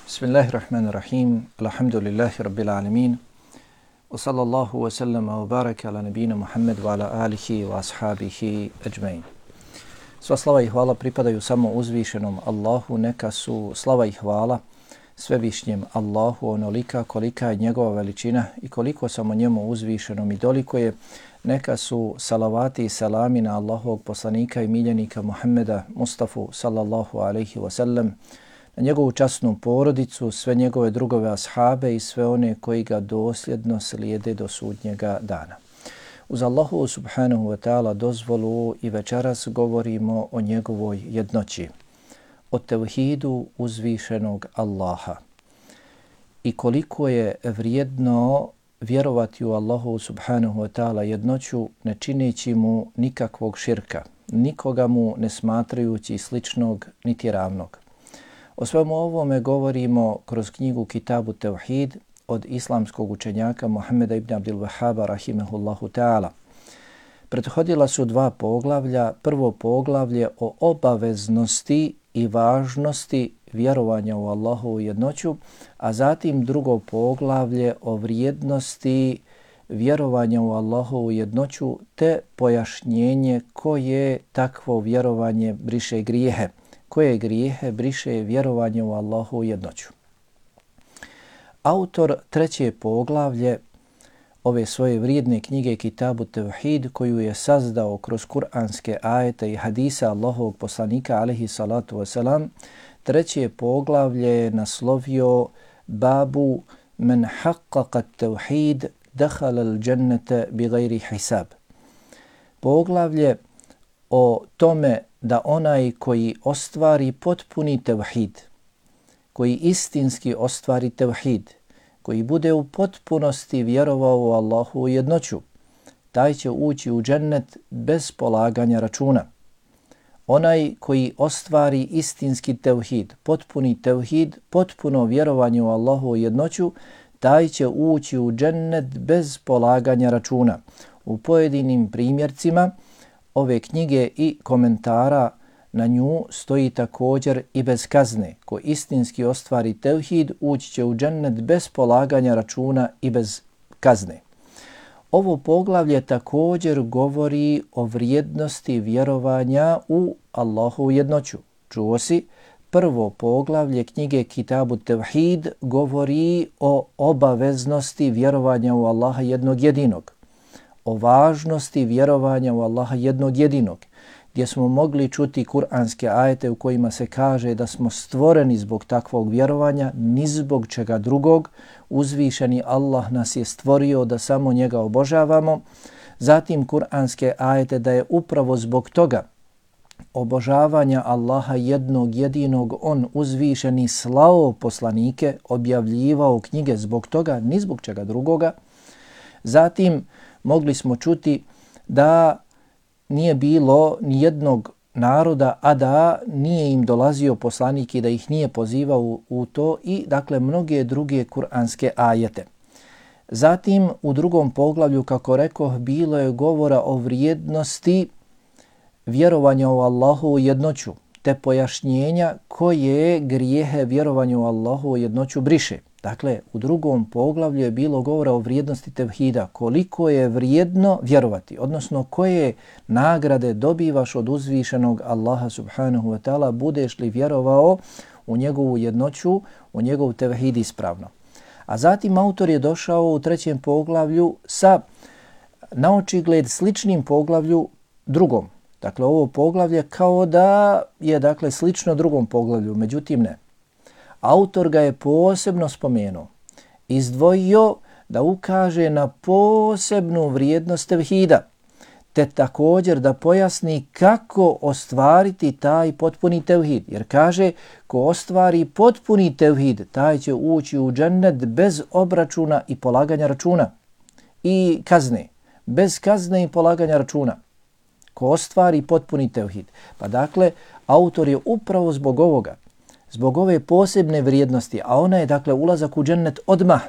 Bismillahirrahmanirrahim. Alhamdulillahi rabbil alamin. Wa sallallahu wa sallama wa baraka ala nabina Muhammad wa ala alihi wa ashabihi ajmain. Sva slava i hvala pripadaju samo uzvišenom Allahu, neka su slava i hvala svevišnjem Allahu onolika kolika je njegova veličina i koliko samo njemu uzvišenom i doliko je. Neka su salavati i salami na Allahovog poslanika i miljenika Muhammeda Mustafa sallallahu alaihi wa sallam, na njegovu časnu porodicu, sve njegove drugove ashabe i sve one koji ga dosljedno slijede do sudnjega dana. Uz Allahu subhanahu wa ta'ala dozvolu i večeras govorimo o njegovoj jednoći, o tevhidu uzvišenog Allaha i koliko je vrijedno vjerovati u Allahu subhanahu wa ta'ala jednoću ne čineći mu nikakvog širka, nikoga mu ne smatrajući sličnog niti ravnog. O svemu ovome govorimo kroz knjigu Kitabu Tevhid od islamskog učenjaka Muhammeda ibn Abdul Wahhaba rahimehullahu ta'ala. Prethodila su dva poglavlja. Prvo poglavlje o obaveznosti i važnosti vjerovanja u Allahovu jednoću, a zatim drugo poglavlje o vrijednosti vjerovanja u Allahovu jednoću te pojašnjenje koje takvo vjerovanje briše grijehe. Koje grijehe briše vjerovanje u Allahovu jednoću. Autor treće poglavlje ove svoje vrijedne knjige Kitabu Tevhid, koju je sazdao kroz kuranske ajete i hadisa Allahovog poslanika alejhi salatu wasalam, treće poglavlje je naslovio Babu men haqqaqa tevhid dakhala al-jannata bighairi hisab. Poglavlje o tome da onaj koji ostvari potpuni tevhid, koji istinski ostvari tevhid, koji bude u potpunosti vjerovao u Allahu jednoću, taj će ući u džennet bez polaganja računa. Onaj koji ostvari istinski tevhid, potpuni tevhid, potpuno vjerovanje u Allahu jednoću, taj će ući u džennet bez polaganja računa. U pojedinim primjercima ove knjige i komentara na nju stoji također i bez kazne. Ko istinski ostvari tevhid, ući će u džennet bez polaganja računa i bez kazne. Ovo poglavlje također govori o vrijednosti vjerovanja u Allahu jednoću. Čuo si, prvo poglavlje knjige Kitabu Tevhid govori o obaveznosti vjerovanja u Allaha jednog jedinog, o važnosti vjerovanja u Allaha jednog jedinog, gdje smo mogli čuti kuranske ajete u kojima se kaže da smo stvoreni zbog takvog vjerovanja, ni zbog čega drugog. Uzvišeni Allah nas je stvorio da samo njega obožavamo. Zatim kuranske ajete da je upravo zbog toga obožavanja Allaha jednog jedinog on uzvišeni slao poslanike, objavljivao knjige zbog toga, ni zbog čega drugoga. Zatim mogli smo čuti da nije bilo ni jednog naroda, a da nije im dolazio poslanik i da ih nije pozivao u to i dakle mnoge druge kuranske ajete. Zatim u drugom poglavlju, kako rekoh, bilo je govora o vrijednosti vjerovanja u Allahovu jednoću te pojašnjenja koje grijehe vjerovanju u Allahovu jednoću briše. Dakle, u drugom poglavlju je bilo govora o vrijednosti tevhida, koliko je vrijedno vjerovati, odnosno koje nagrade dobivaš od uzvišenog Allaha subhanahu wa ta'ala budeš li vjerovao u njegovu jednoću, u njegov tevhid ispravno. A zatim autor je došao u trećem poglavlju sa naočigled sličnim poglavlju drugom. Dakle, ovo poglavlje kao da je dakle slično drugom poglavlju, međutim ne. Autor ga je posebno spomenuo, izdvojio da ukaže na posebnu vrijednost tevhida, te također da pojasni kako ostvariti taj potpuni tevhid. Jer kaže, ko ostvari potpuni tevhid, taj će ući u džennet bez obračuna i polaganja računa i kazne. Bez kazne i polaganja računa. Ko ostvari potpuni tevhid. Pa dakle, autor je upravo zbog ovoga, zbog ove posebne vrijednosti, a ona je dakle ulazak u džennet odmah,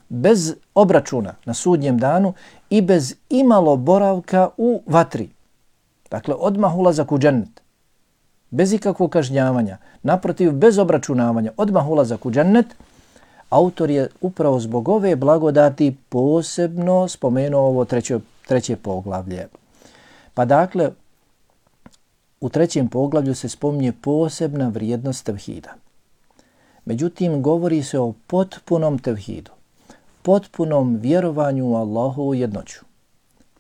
bez obračuna na sudnjem danu i bez imalo boravka u vatri. Dakle, odmah ulazak u džennet. bez ikakvog kažnjavanja, naprotiv bez obračunavanja, odmah ulazak u džennet, autor je upravo zbog ove blagodati posebno spomenuo ovo treće poglavlje. Pa dakle, u trećem poglavlju se spominje posebna vrijednost tevhida. Međutim, govori se o potpunom tevhidu, potpunom vjerovanju u Allahovu jednoću.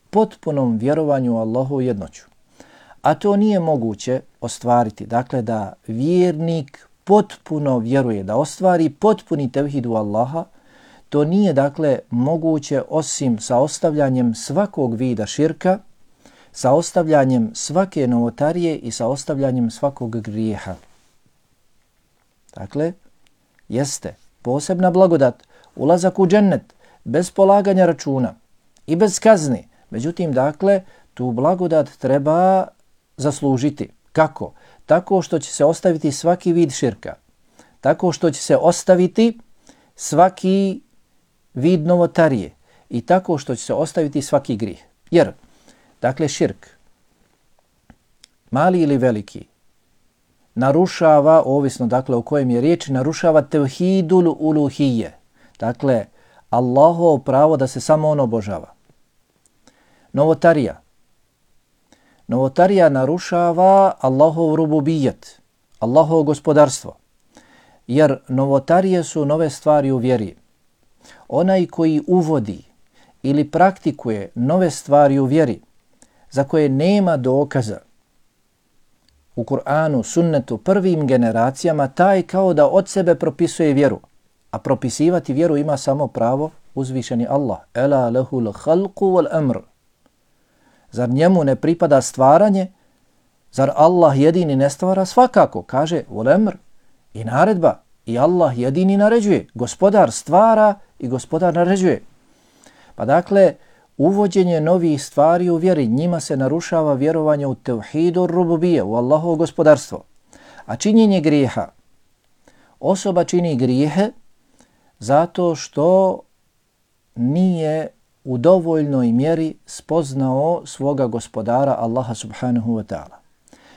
Potpunom vjerovanju u Allahovu jednoću. A to nije moguće ostvariti. Dakle, da vjernik potpuno vjeruje, da ostvari potpuni tevhid u Allaha, to nije dakle moguće osim sa ostavljanjem svakog vida širka, sa ostavljanjem svake novotarije i sa ostavljanjem svakog grijeha. Dakle, jeste posebna blagodat, ulazak u džennet bez polaganja računa i bez kazni. Međutim, dakle, tu blagodat treba zaslužiti. Kako? Tako što će se ostaviti svaki vid širka. Tako što će se ostaviti svaki vid novotarije. I tako što će se ostaviti svaki grijeh. Jer, dakle, širk, mali ili veliki, narušava, ovisno dakle o kojem je riječ, narušava tevhidul uluhije. Dakle, Allahovo pravo da se samo on obožava. Novotarija narušava Allahov rububijet, Allahovo gospodarstvo. Jer novotarije su nove stvari u vjeri. Onaj koji uvodi ili praktikuje nove stvari u vjeri za koje nema dokaza u Kur'anu, sunnetu, prvim generacijama, taj kao da od sebe propisuje vjeru. A propisivati vjeru ima samo pravo uzvišeni Allah. Ela lehul khalqu wal amr. Zar njemu ne pripada stvaranje? Zar Allah jedini ne stvara? Svakako, kaže wal amr, i naredba. I Allah jedini naređuje. Gospodar stvara i gospodar naređuje. Pa dakle, uvođenje novih stvari u vjeri, njima se narušava vjerovanje u tevhidu rububije, u Allahovo gospodarstvo. A činjenje grijeha. Osoba čini grijehe zato što nije u dovoljnoj mjeri spoznao svoga gospodara Allaha subhanahu wa ta'ala.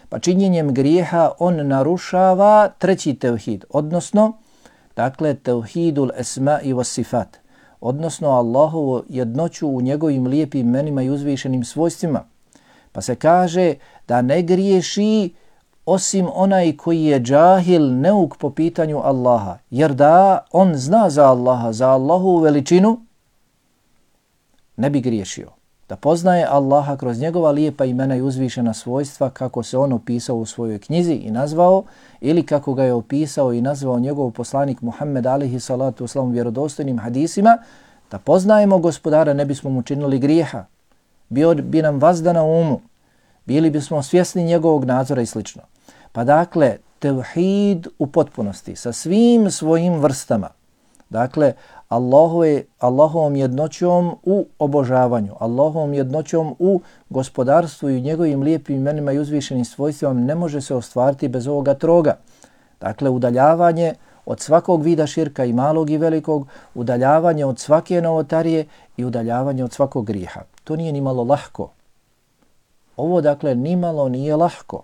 Pa činjenjem grijeha on narušava treći tevhid, odnosno, dakle, tevhidul esma i was sifat, odnosno Allahovu jednoću u njegovim lijepim imenima i uzvišenim svojstvima. Pa se kaže da ne griješi osim onaj koji je džahil, neuk po pitanju Allaha. Jer da on zna za Allaha, za Allahovu veličinu, ne bi griješio. Da poznaje Allaha kroz njegova lijepa imena i uzvišena svojstva kako se on opisao u svojoj knjizi i nazvao, ili kako ga je opisao i nazvao njegov poslanik Muhammed alihi salatu wasalam vjerodostojnim hadisima, da poznajemo gospodara, ne bismo mu činili grijeha. Bio bi nam vazda na umu, bili bismo svjesni njegovog nadzora i slično. Pa dakle, tevhid u potpunosti, sa svim svojim vrstama. Dakle, Allahovom jednoćom u obožavanju, Allahovom jednoćom u gospodarstvu i njegovim lijepim imenima i uzvišenim svojstvima ne može se ostvariti bez ovoga troga. Dakle, udaljavanje od svakog vida širka i malog i velikog, udaljavanje od svake novotarije i udaljavanje od svakog grijeha. To nije ni malo lahko. Ovo, dakle, ni malo nije lahko.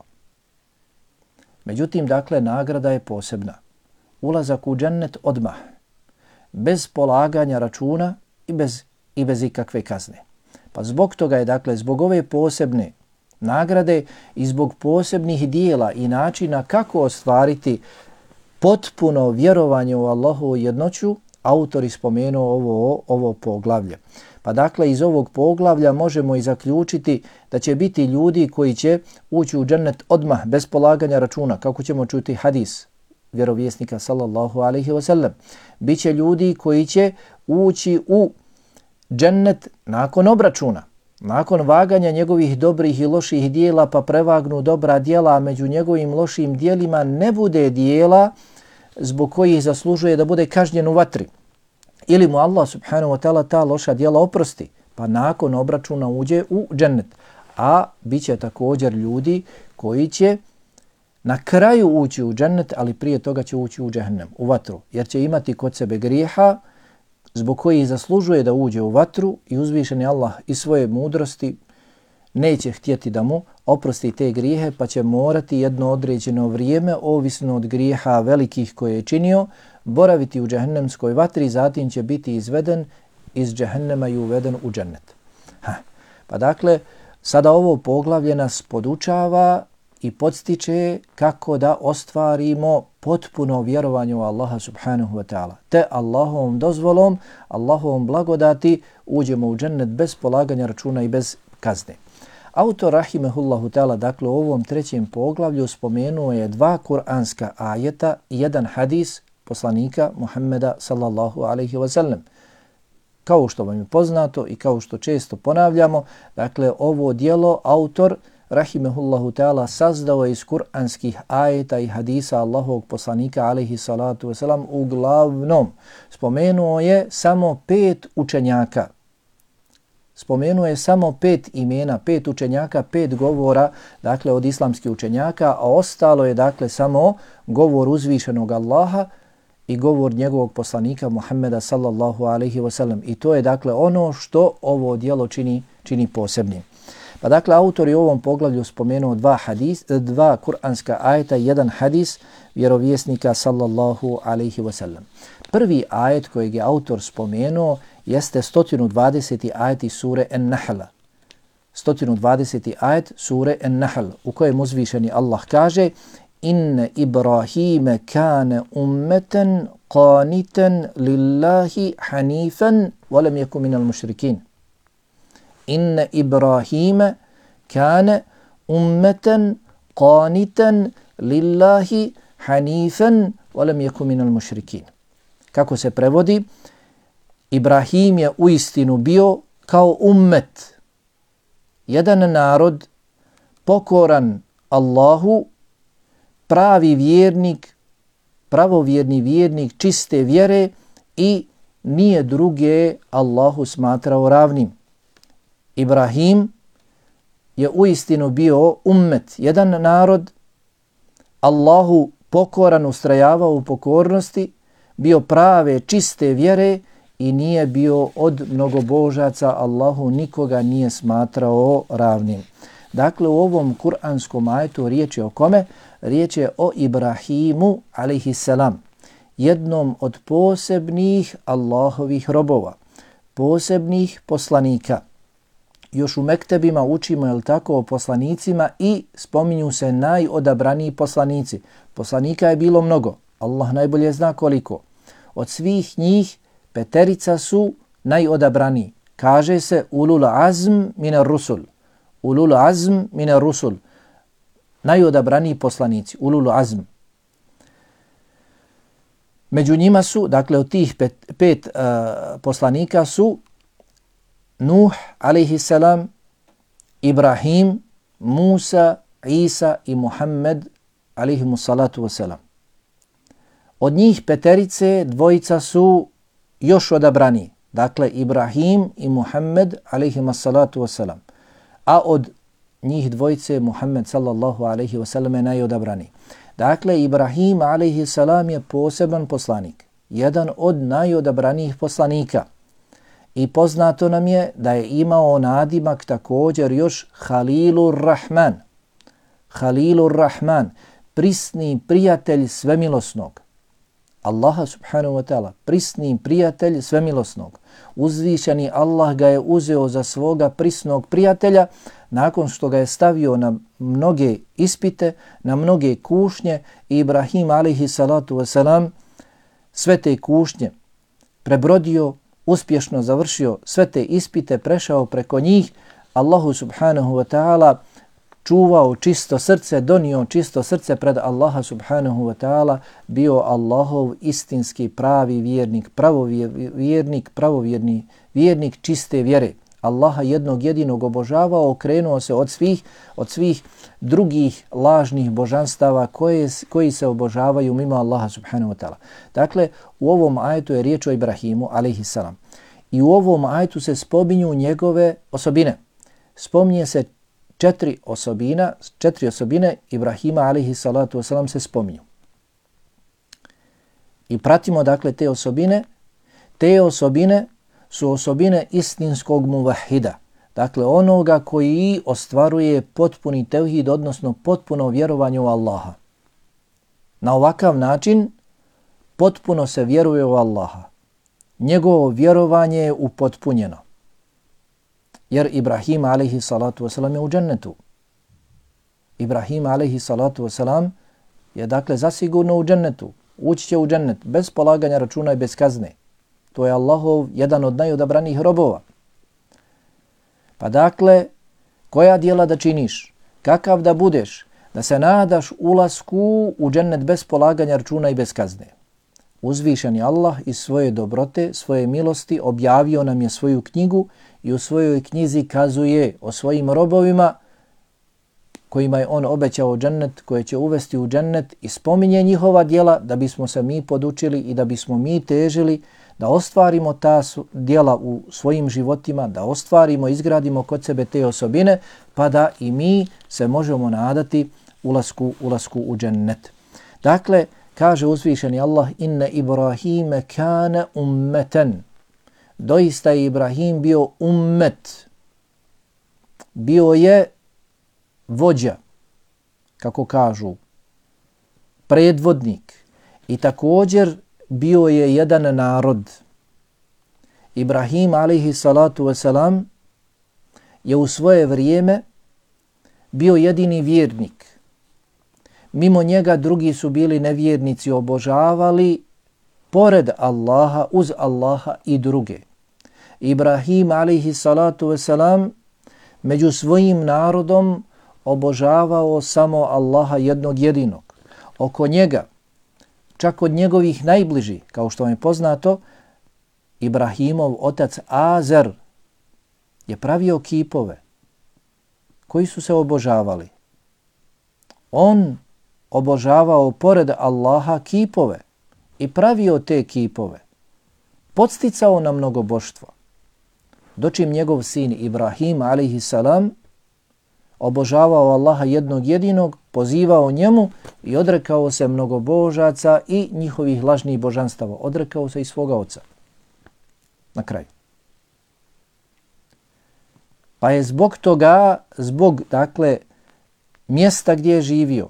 Međutim, dakle, nagrada je posebna. Ulazak u džennet odmah, bez polaganja računa i bez ikakve kazne. Pa zbog toga je, dakle, zbog ove posebne nagrade i zbog posebnih dijela i načina kako ostvariti potpuno vjerovanje u Allahovu jednoću, autor spomenuo ovo poglavlje. Pa dakle, iz ovog poglavlja možemo i zaključiti da će biti ljudi koji će ući u džennet odmah, bez polaganja računa, kako ćemo čuti hadis vjerovjesnika sallallahu alaihi wa sallam. Biće ljudi koji će ući u džennet nakon obračuna, nakon vaganja njegovih dobrih i loših dijela, pa prevagnu dobra dijela, a među njegovim lošim dijelima ne bude dijela zbog kojih zaslužuje da bude kažnjen u vatri. Ili mu Allah subhanahu wa ta'ala ta loša dijela oprosti, pa nakon obračuna uđe u džennet. A bit će također ljudi koji će na kraju ući u džennet, ali prije toga će ući u džehennem, u vatru, jer će imati kod sebe grijeha zbog kojih zaslužuje da uđe u vatru i uzvišeni Allah iz svoje mudrosti neće htjeti da mu oprosti te grijehe, pa će morati jedno određeno vrijeme, ovisno od grijeha velikih koje je činio, boraviti u džehennemskoj vatri, zatim će biti izveden iz džehennema i uveden u džennet. Pa dakle, sada ovo poglavlje nas podučava i podstiče kako da ostvarimo potpuno vjerovanje u Allaha subhanahu wa ta'ala. Te Allahovom dozvolom, Allahovom blagodati uđemo u džennet bez polaganja računa i bez kazne. Autor rahimehullahu ta'ala, dakle u ovom trećem poglavlju spomenuo je 2 kuranska ajeta i 1 hadis poslanika Muhammeda sallallahu alaihi wa sallam. Kao što vam je poznato i kao što često ponavljamo, dakle ovo dijelo autor rahimehullahu ta'ala sazdao je iz kuranskih ajeta i hadisa Allahovog poslanika alaihi salatu wasalam. Uglavnom spomenuo je samo 5 učenjaka. Spomenuo je samo 5 imena, 5 učenjaka, 5 govora, dakle od islamskih učenjaka, a ostalo je dakle samo govor uzvišenog Allaha i govor njegovog poslanika Muhammeda sallallahu alaihi wasallam. I to je dakle ono što ovo djelo čini posebnim. Pa dakle, autor je u ovom poglavlju spomenuo 2 kuranska ajeta i 1 hadis vjerovjesnika sallallahu alaihi wasallam. Prvi ajet kojeg je autor spomenuo jeste 120. ajet iz sure An-Nahl. 120. ajet sure An-Nahl u kojem uzvišeni Allah kaže: Inna Ibrahime kane ummeten qanitan lillahi hanifan walam yaku minal mušrikin. Inna Ibrahime kane ummeten qanitan lillahi hanifan walam yaku minal mušrikin. Kako se prevodi? Ibrahim je uistinu bio kao ummet, jedan narod pokoran Allahu, pravi vjernik, pravovjerni vjernik čiste vjere i nije druge Allahu smatrao ravnim. Ibrahim je uistinu bio ummet, jedan narod, Allahu pokoran, ustrajavao u pokornosti, bio prave čiste vjere i nije bio od mnogobožaca, Allahu nikoga nije smatrao ravnim. Dakle, u ovom kuranskom ajetu riječ je o kome? Riječ je o Ibrahimu alejhiselam, jednom od posebnih Allahovih robova, posebnih poslanika. Još u mektebima učimo, jel tako, o poslanicima i spominju se najodabraniji poslanici. Poslanika je bilo mnogo, Allah najbolje zna koliko. Od svih njih 5 su najodabraniji. Kaže se ulul azm minar rusul. Ulul azm minar rusul. Najodabraniji poslanici, ulul azm. Među njima su, dakle od tih 5 poslanika su Nuh alejhiselam, Ibrahim, Musa, Isa i Muhammed alejhimussalatu wassalam. Od njih 5 2 su još odabrani. Dakle, Ibrahim i Muhammed alejhimussalatu wassalam. A od njih 2 Muhammed sallallahu alejhi ve sellem je najodabrani. Dakle, Ibrahim alejhiselam je poseban poslanik, jedan od najodabranijih poslanika. I poznato nam je da je imao nadimak također još Halilur Rahman. Halilur Rahman, prisni prijatelj svemilosnog. Allaha subhanahu wa ta'ala, prisni prijatelj svemilosnog. Uzvišeni Allah ga je uzeo za svoga prisnog prijatelja nakon što ga je stavio na mnoge ispite, na mnoge kušnje. Ibrahim alejhi salatu wasalam sve te kušnje prebrodio, uspješno završio sve te ispite, prešao preko njih, Allahu subhanahu wa ta'ala čuvao čisto srce, donio čisto srce pred Allaha subhanahu wa ta'ala, bio Allahov istinski pravi vjernik, pravovjerni vjernik čiste vjere. Allaha jednog jedinog obožavao, okrenuo se od svih drugih lažnih božanstava koji se obožavaju mimo Allaha subhanahu wa ta'ala. Dakle, u ovom ajetu je riječ o Ibrahimu alejhiselam. I u ovom ajetu se spominju njegove osobine. Spominje se 4 osobine Ibrahima alejhisalatu wasalam se spominju. I pratimo dakle te osobine. Te osobine su osobine istinskog muvahida. Dakle, onoga koji ostvaruje potpuni tevhid, odnosno potpuno vjerovanje u Allaha. Na ovakav način potpuno se vjeruje u Allaha. Njegovo vjerovanje je upotpunjeno. Jer Ibrahim alejhi salatu wasalam je u džennetu. Ibrahim alejhi salatu wasalam je dakle zasigurno u džennetu. Ući će u džennet bez polaganja računa i bez kazne. To je Allahov jedan od najodabranijih robova. Pa dakle, koja djela da činiš, kakav da budeš, da se nadaš ulasku u džennet bez polaganja računa i bez kazne. Uzvišeni Allah iz svoje dobrote, svoje milosti objavio nam je svoju knjigu i u svojoj knjizi kazuje o svojim robovima kojima je on obećao džennet, koje će uvesti u džennet i spominje njihova djela da bismo se mi podučili i da bismo mi težili da ostvarimo ta djela u svojim životima, da ostvarimo, izgradimo kod sebe te osobine, pa da i mi se možemo nadati ulasku u džennet. Dakle, kaže uzvišeni Allah, inne Ibrahime kane ummeten. Doista je Ibrahim bio ummet. Bio je vođa, kako kažu, predvodnik i također bio je jedan narod. Ibrahim alejhi salatu wasalam je u svoje vrijeme bio jedini vjernik. Mimo njega drugi su bili nevjernici, obožavali pored Allaha, uz Allaha i druge. Ibrahim alejhi salatu wasalam među svojim narodom obožavao samo Allaha jednog jedinog. Oko njega, čak od njegovih najbližih, kao što vam je poznato, Ibrahimov otac Azer je pravio kipove koji su se obožavali. On obožavao pored Allaha kipove i pravio te kipove. Podsticao na mnogoboštvo. Dočim njegov sin Ibrahim alejhi salam obožavao Allaha jednog jedinog, pozivao njemu i odrekao se mnogobožaca i njihovih lažnih božanstava. Odrekao se i svoga oca. Na kraju. Pa je zbog toga, dakle, mjesta gdje je živio,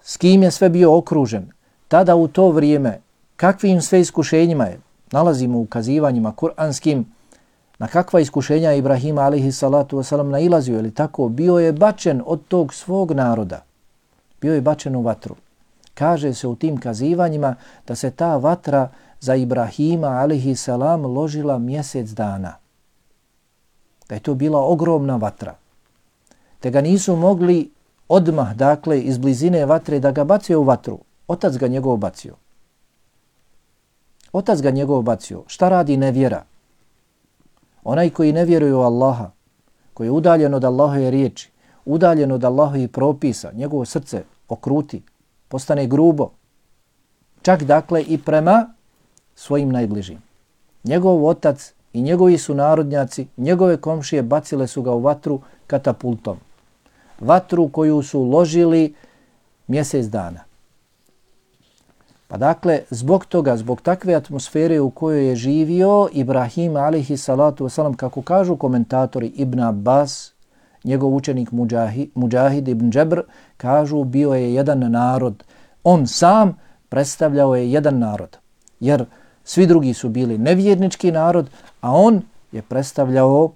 s kim je sve bio okružen, tada u to vrijeme, kakvim sve iskušenjima je, nalazimo u ukazivanjima kuranskim, na kakva iskušenja Ibrahima alejhi salatu wasalam nailazio, ili tako, bio je bačen od tog svog naroda. Bio je bačen u vatru. Kaže se u tim kazivanjima da se ta vatra za Ibrahima alejhi salam ložila mjesec dana. Da je to bila ogromna vatra. Te ga nisu mogli odmah, dakle, iz blizine vatre da ga bacio u vatru. Otac ga njegov bacio. Otac ga njegov bacio. Šta radi nevjera? Onaj koji ne vjeruje u Allaha, koji je udaljen od Allahove riječi, udaljen od Allahovih propisa, njegovo srce okruti, postane grubo. Čak dakle i prema svojim najbližim. Njegov otac i njegovi sunarodnjaci, njegove komšije bacile su ga u vatru katapultom. Vatru koju su ložili mjesec dana. Pa dakle, zbog toga, zbog takve atmosfere u kojoj je živio Ibrahim alejhi salatu wasalam, kako kažu komentatori Ibn Abbas, njegov učenik Mujahid ibn Džebr, kažu bio je jedan narod. On sam predstavljao je jedan narod. Jer svi drugi su bili nevjernički narod, a on je predstavljao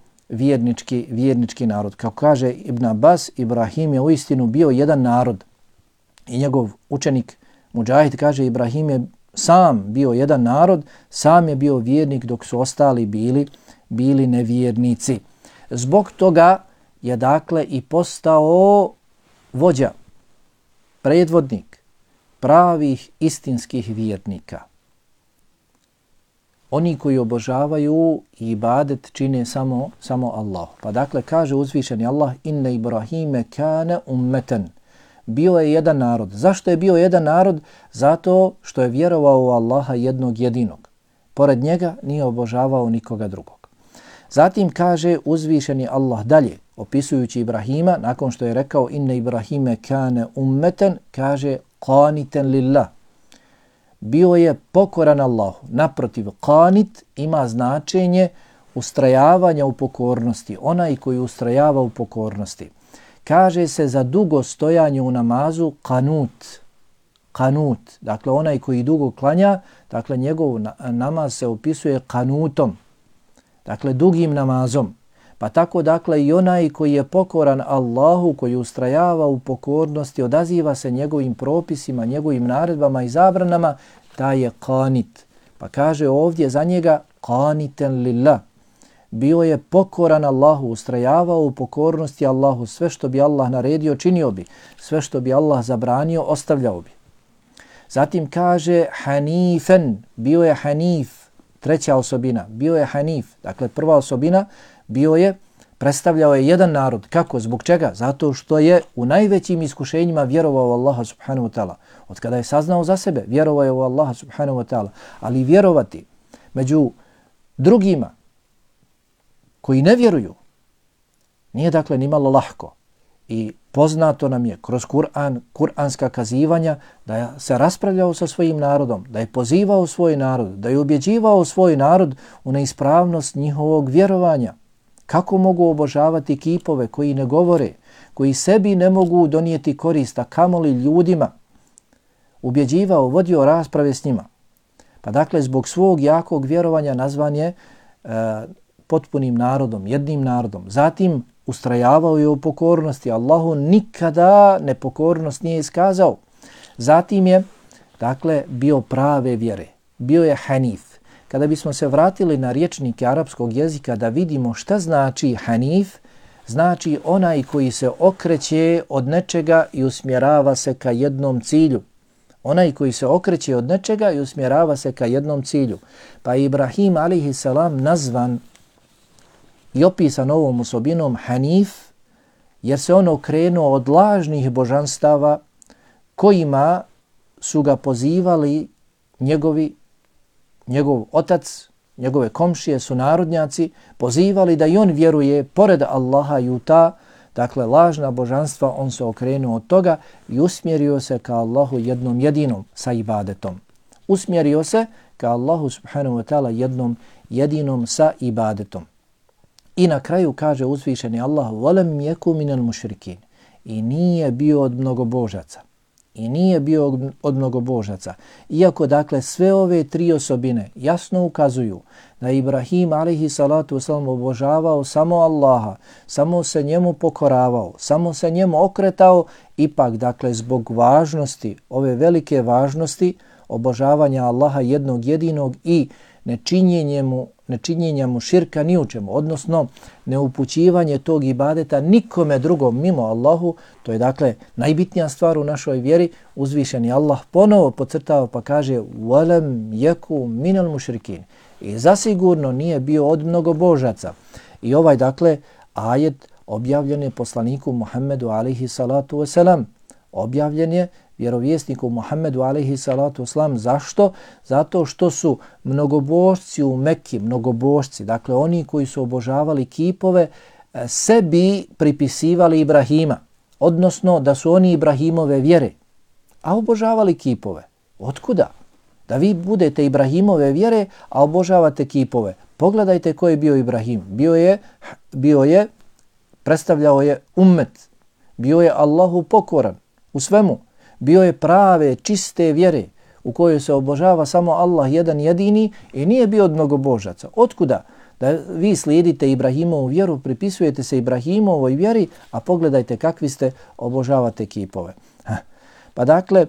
vjernički narod. Kako kaže Ibn Abbas, Ibrahim je uistinu bio jedan narod. I njegov učenik Mujahid kaže, Ibrahim je sam bio jedan narod, sam je bio vjernik dok su ostali bili nevjernici. Zbog toga je dakle i postao vođa, predvodnik pravih istinskih vjernika. Oni koji obožavaju i ibadet čine samo Allah. Pa dakle kaže uzvišeni Allah, inne Ibrahime kane ummeten. Bio je jedan narod. Zašto je bio jedan narod? Zato što je vjerovao u Allaha jednog jedinog. Pored njega nije obožavao nikoga drugog. Zatim kaže uzvišeni Allah dalje, opisujući Ibrahima, nakon što je rekao inne Ibrahime kane ummeten, kaže qaniten lillah. Bio je pokoran Allahu. Naprotiv, qanit ima značenje ustrajavanja u pokornosti, onaj koji ustrajava u pokornosti. Kaže se za dugo stojanje u namazu kanut. Kanut, dakle onaj koji dugo klanja, dakle njegov namaz se opisuje kanutom, dakle dugim namazom. Pa tako dakle i onaj koji je pokoran Allahu, koji ustrajava u pokornosti, odaziva se njegovim propisima, njegovim naredbama i zabranama, taj je kanit. Pa kaže ovdje za njega kaniten lillah. Bio je pokoran Allahu, ustrajavao u pokornosti Allahu, sve što bi Allah naredio činio bi, sve što bi Allah zabranio ostavljao bi. Zatim kaže hanifen, bio je hanif, treća osobina, bio je hanif. Dakle prva osobina predstavljao je jedan narod. Kako? Zbog čega? Zato što je u najvećim iskušenjima vjerovao u Allaha subhanahu wa ta'ala. Od kada je saznao za sebe, vjerovao je u Allaha subhanahu wa ta'ala. Ali vjerovati među drugima koji ne vjeruju nije dakle nimalo lahko. I poznato nam je kroz Kur'an, kur'anska kazivanja da se raspravljao sa svojim narodom, da je pozivao svoj narod, da je ubjeđivao svoj narod u neispravnost njihovog vjerovanja. Kako mogu obožavati kipove koji ne govore, koji sebi ne mogu donijeti korist, a kamoli ljudima? Ubjeđivao, vodio rasprave s njima. Pa dakle, zbog svog jakog vjerovanja nazvan je potpunim narodom, jednim narodom. Zatim ustrajavao je u pokornosti. Allahu nikada nepokornost nije iskazao. Zatim je, dakle, bio prave vjere. Bio je hanif. Kada bismo se vratili na rječnike arapskog jezika da vidimo šta znači hanif, znači onaj koji se okreće od nečega i usmjerava se ka jednom cilju. Onaj koji se okreće od nečega i usmjerava se ka jednom cilju. Pa Ibrahim alejhi selam nazvan i opisan ovom osobinom hanif, jer se on okrenuo od lažnih božanstava kojima su ga pozivali njegov otac, njegove komšije, sunarodnjaci, pozivali da i on vjeruje pored Allaha i u ta, dakle lažna božanstva, on se okrenuo od toga i usmjerio se ka Allahu jednom jedinom sa ibadetom. Usmjerio se ka Allahu subhanahu wa ta'ala jednom jedinom sa ibadetom. I na kraju kaže uzvišeni Allah: "Walam yaku minal mushrikin." I nije bio od mnogobožaca. I nije bio od mnogobožaca. Iako dakle sve ove tri osobine jasno ukazuju da Ibrahim alejhi salatu vesselam obožavao samo Allaha, samo se njemu pokoravao, samo se njemu okretao, ipak dakle zbog važnosti, ove velike važnosti obožavanja Allaha jednog jedinog i nečinjenja mu širka ni u čemu, odnosno neupućivanje tog ibadeta nikome drugom mimo Allahu, to je dakle najbitnija stvar u našoj vjeri. Uzvišeni Allah ponovo podcrtava pa kaže walam yaku minal mushrikin. I zasigurno nije bio od mnogobožaca. I ovaj dakle ajet objavljen je poslaniku Muhammedu alejhi salatu vesselam. Objavljen je vjerovjesniku Muhammedu alejhi salatu vesselam. Zašto? Zato što su mnogobožci u Mekki, mnogobožci, dakle oni koji su obožavali kipove, sebi pripisivali Ibrahima, odnosno da su oni Ibrahimove vjere, a obožavali kipove. Otkuda? Da vi budete Ibrahimove vjere, a obožavate kipove. Pogledajte ko je bio Ibrahim. Bio je, predstavljao je ummet, bio je Allahu pokoran u svemu. Bio je prave, čiste vjere u kojoj se obožava samo Allah jedan jedini i nije bio od mnogobožaca. Otkuda? Da vi slijedite Ibrahimovu vjeru, pripisujete se Ibrahimovoj vjeri, a pogledajte kakvi ste, obožavate kipove. Pa dakle,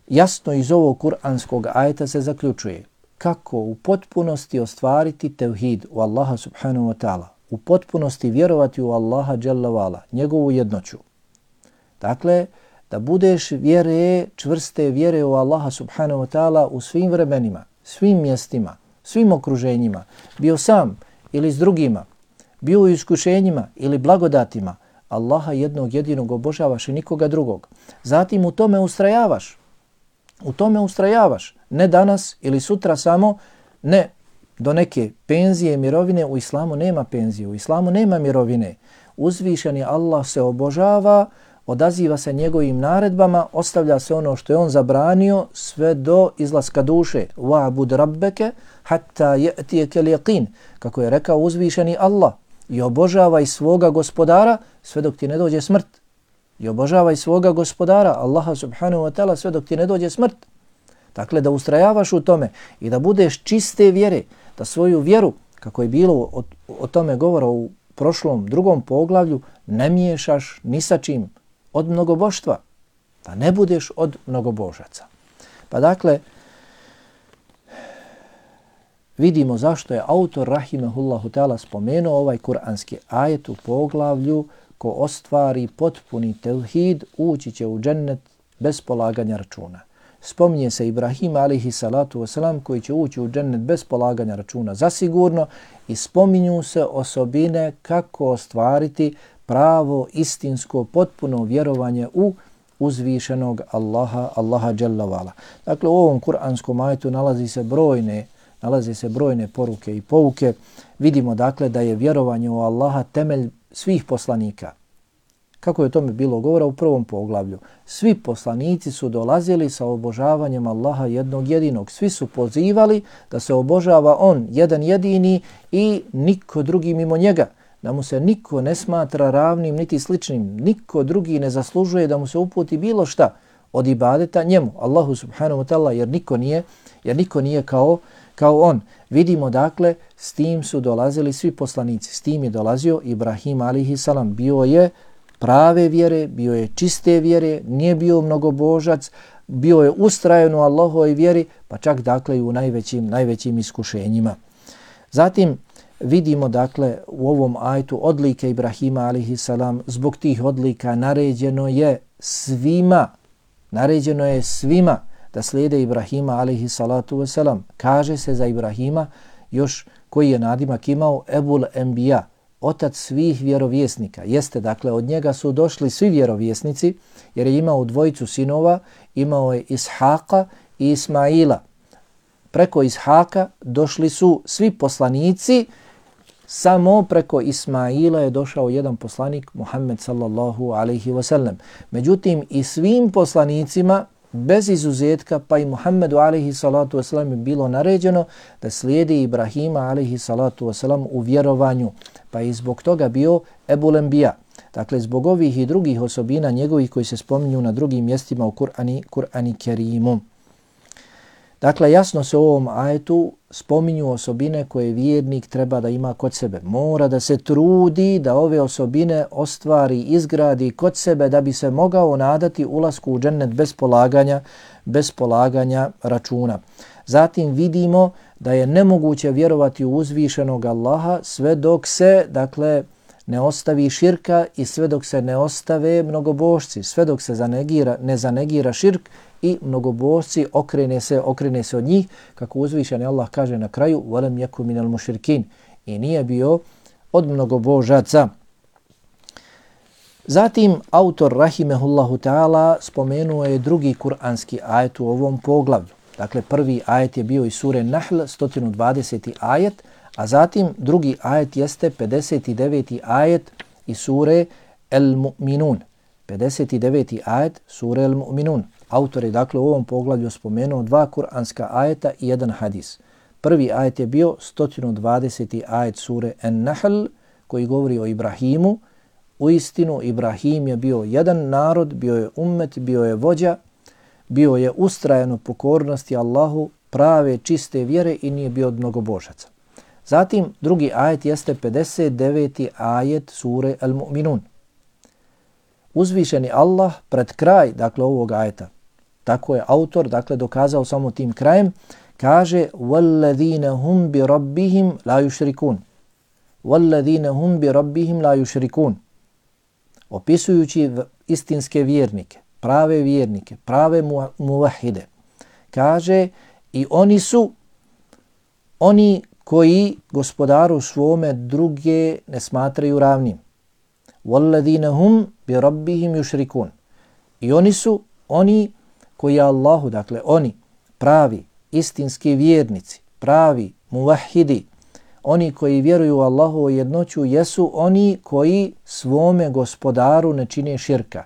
jasno iz ovog kuranskog ajeta se zaključuje kako u potpunosti ostvariti tevhid u Allaha subhanahu wa ta'ala, u potpunosti vjerovati u Allaha dželle ve ala, njegovu jednoću. Dakle, da budeš čvrste vjere u Allaha subhanahu wa ta'ala u svim vremenima, svim mjestima, svim okruženjima, bio sam ili s drugima, bio u iskušenjima ili blagodatima, Allaha jednog jedinog obožavaš i nikoga drugog. Zatim u tome ustrajavaš. U tome ustrajavaš. Ne danas ili sutra samo, ne do neke penzije i mirovine. U islamu nema penzije, u islamu nema mirovine. Uzvišeni Allah se obožava odaziva se njegovim naredbama, ostavlja se ono što je on zabranio sve do izlaska duše. Wa'bud rabbeke hatta ya'tiyaka al-yaqin, kako je rekao uzvišeni Allah, i obožavaj svoga gospodara sve dok ti ne dođe smrt. I obožavaj svoga gospodara, Allaha subhanahu wa ta'ala, sve dok ti ne dođe smrt. Dakle, da ustrajavaš u tome i da budeš čiste vjere, da svoju vjeru, kako je bilo o tome govora u prošlom drugom poglavlju, ne miješaš ni sa čim od mnogoboštva, da ne budeš od mnogobožaca. Pa dakle, vidimo zašto je autor rahimehullahu ta'ala spomenuo ovaj kuranski ajet u poglavlju: ko ostvari potpuni tevhid, ući će u džennet bez polaganja računa. Spominje se Ibrahim alaihi salatu wasalam koji će ući u džennet bez polaganja računa zasigurno, i spominju se osobine kako ostvariti pravo, istinsko, potpuno vjerovanje u uzvišenog Allaha dželle vala. Dakle, u ovom kuranskom ajetu nalaze se brojne poruke i pouke. Vidimo dakle da je vjerovanje u Allaha temelj svih poslanika. Kako je o tome bilo govora u prvom poglavlju. Svi poslanici su dolazili sa obožavanjem Allaha jednog jedinog. Svi su pozivali da se obožava on jedan jedini i niko drugi mimo njega. Da mu se niko ne smatra ravnim niti sličnim. Niko drugi ne zaslužuje da mu se uputi bilo šta od ibadeta njemu, Allahu subhanahu wa ta'ala, jer niko nije kao on. Vidimo dakle, s tim su dolazili svi poslanici. S tim je dolazio Ibrahim alaihi salam. Bio je prave vjere, bio je čiste vjere, nije bio mnogobožac, bio je ustrajan u Allahovoj vjeri, pa čak dakle i u najvećim iskušenjima. Zatim vidimo dakle u ovom ajetu odlike Ibrahima alaihi salam. Zbog tih odlika naređeno je svima da slijede Ibrahima alaihi salatu wasalam. Kaže se za Ibrahima još koji je nadimak imao Ebul Enbija, otac svih vjerovjesnika. Jeste, dakle, od njega su došli svi vjerovjesnici, jer je imao dvojicu sinova, imao je Ishaqa i Ismaila. Preko Ishaka došli su svi poslanici, samo preko Ismaila je došao jedan poslanik, Muhammed sallallahu alaihi wasallam. Međutim, i svim poslanicima, bez izuzetka, pa i Muhammedu alaihi salatu wasalam je bilo naređeno da slijedi Ibrahima alaihi salatu wasalam u vjerovanju, pa i zbog toga bio Ebul Enbija. Dakle, zbog ovih i drugih osobina njegovih koji se spominju na drugim mjestima u Kur'ani Kerimu. Dakle, jasno se u ovom ajetu spominju osobine koje vjernik treba da ima kod sebe. Mora da se trudi da ove osobine ostvari, izgradi kod sebe da bi se mogao nadati ulasku u džennet bez polaganja računa. Zatim vidimo da je nemoguće vjerovati u uzvišenog Allaha sve dok se, dakle, ne ostavi širka i sve dok se ne ostave mnogobožci, sve dok se ne zanegira širk i mnogobožci, okrene se od njih, kako uzvišeni Allah kaže na kraju: وَلَمْ يَكُ مِنَ الْمُشْرِكِينَ, i nije bio od mnogobožaca. Zatim autor rahimehullahu ta'ala spomenuo je drugi kuranski ajet u ovom poglavlju. Dakle, prvi ajet je bio iz sure Nahl, 120. ajet, a zatim drugi ajet jeste 59. ajet iz sure El-Mu'minun. 59. ajet sure El-Mu'minun. Autor je dakle u ovom poglavlju spomenuo dva kuranska ajeta i jedan hadis. Prvi ajet je bio 120. ajet sure En-Nahl koji govori o Ibrahimu. Uistinu, Ibrahim je bio jedan narod, bio je ummet, bio je vođa, bio je ustrajan u pokornosti Allahu, prave, čiste vjere i nije bio od mnogobožaca. Zatim, drugi ajet jeste 59. ajet sure Al-Mu'minun. Uzvišeni Allah pred kraj, dakle, ovog ajeta, tako je autor, dakle, dokazao samo tim krajem, kaže: وَالَّذِينَ هُمْ بِرَبِّهِمْ لَا يُشْرِكُونَ وَالَّذِينَ هُمْ بِرَبِّهِمْ لَا يُشْرِكُونَ. Opisujući istinske vjernike, prave muvahide, kaže: i oni su oni koji gospodaru svome druge ne smatraju ravnim. وَالَّذِينَ هُمْ بِرَبِّهِمْ يُشْرِكُونَ. I oni su oni koji Allahu, dakle oni pravi istinski vjernici, pravi muvahidi, oni koji vjeruju u Allahovu jednoću, jesu oni koji svome gospodaru ne čine širka.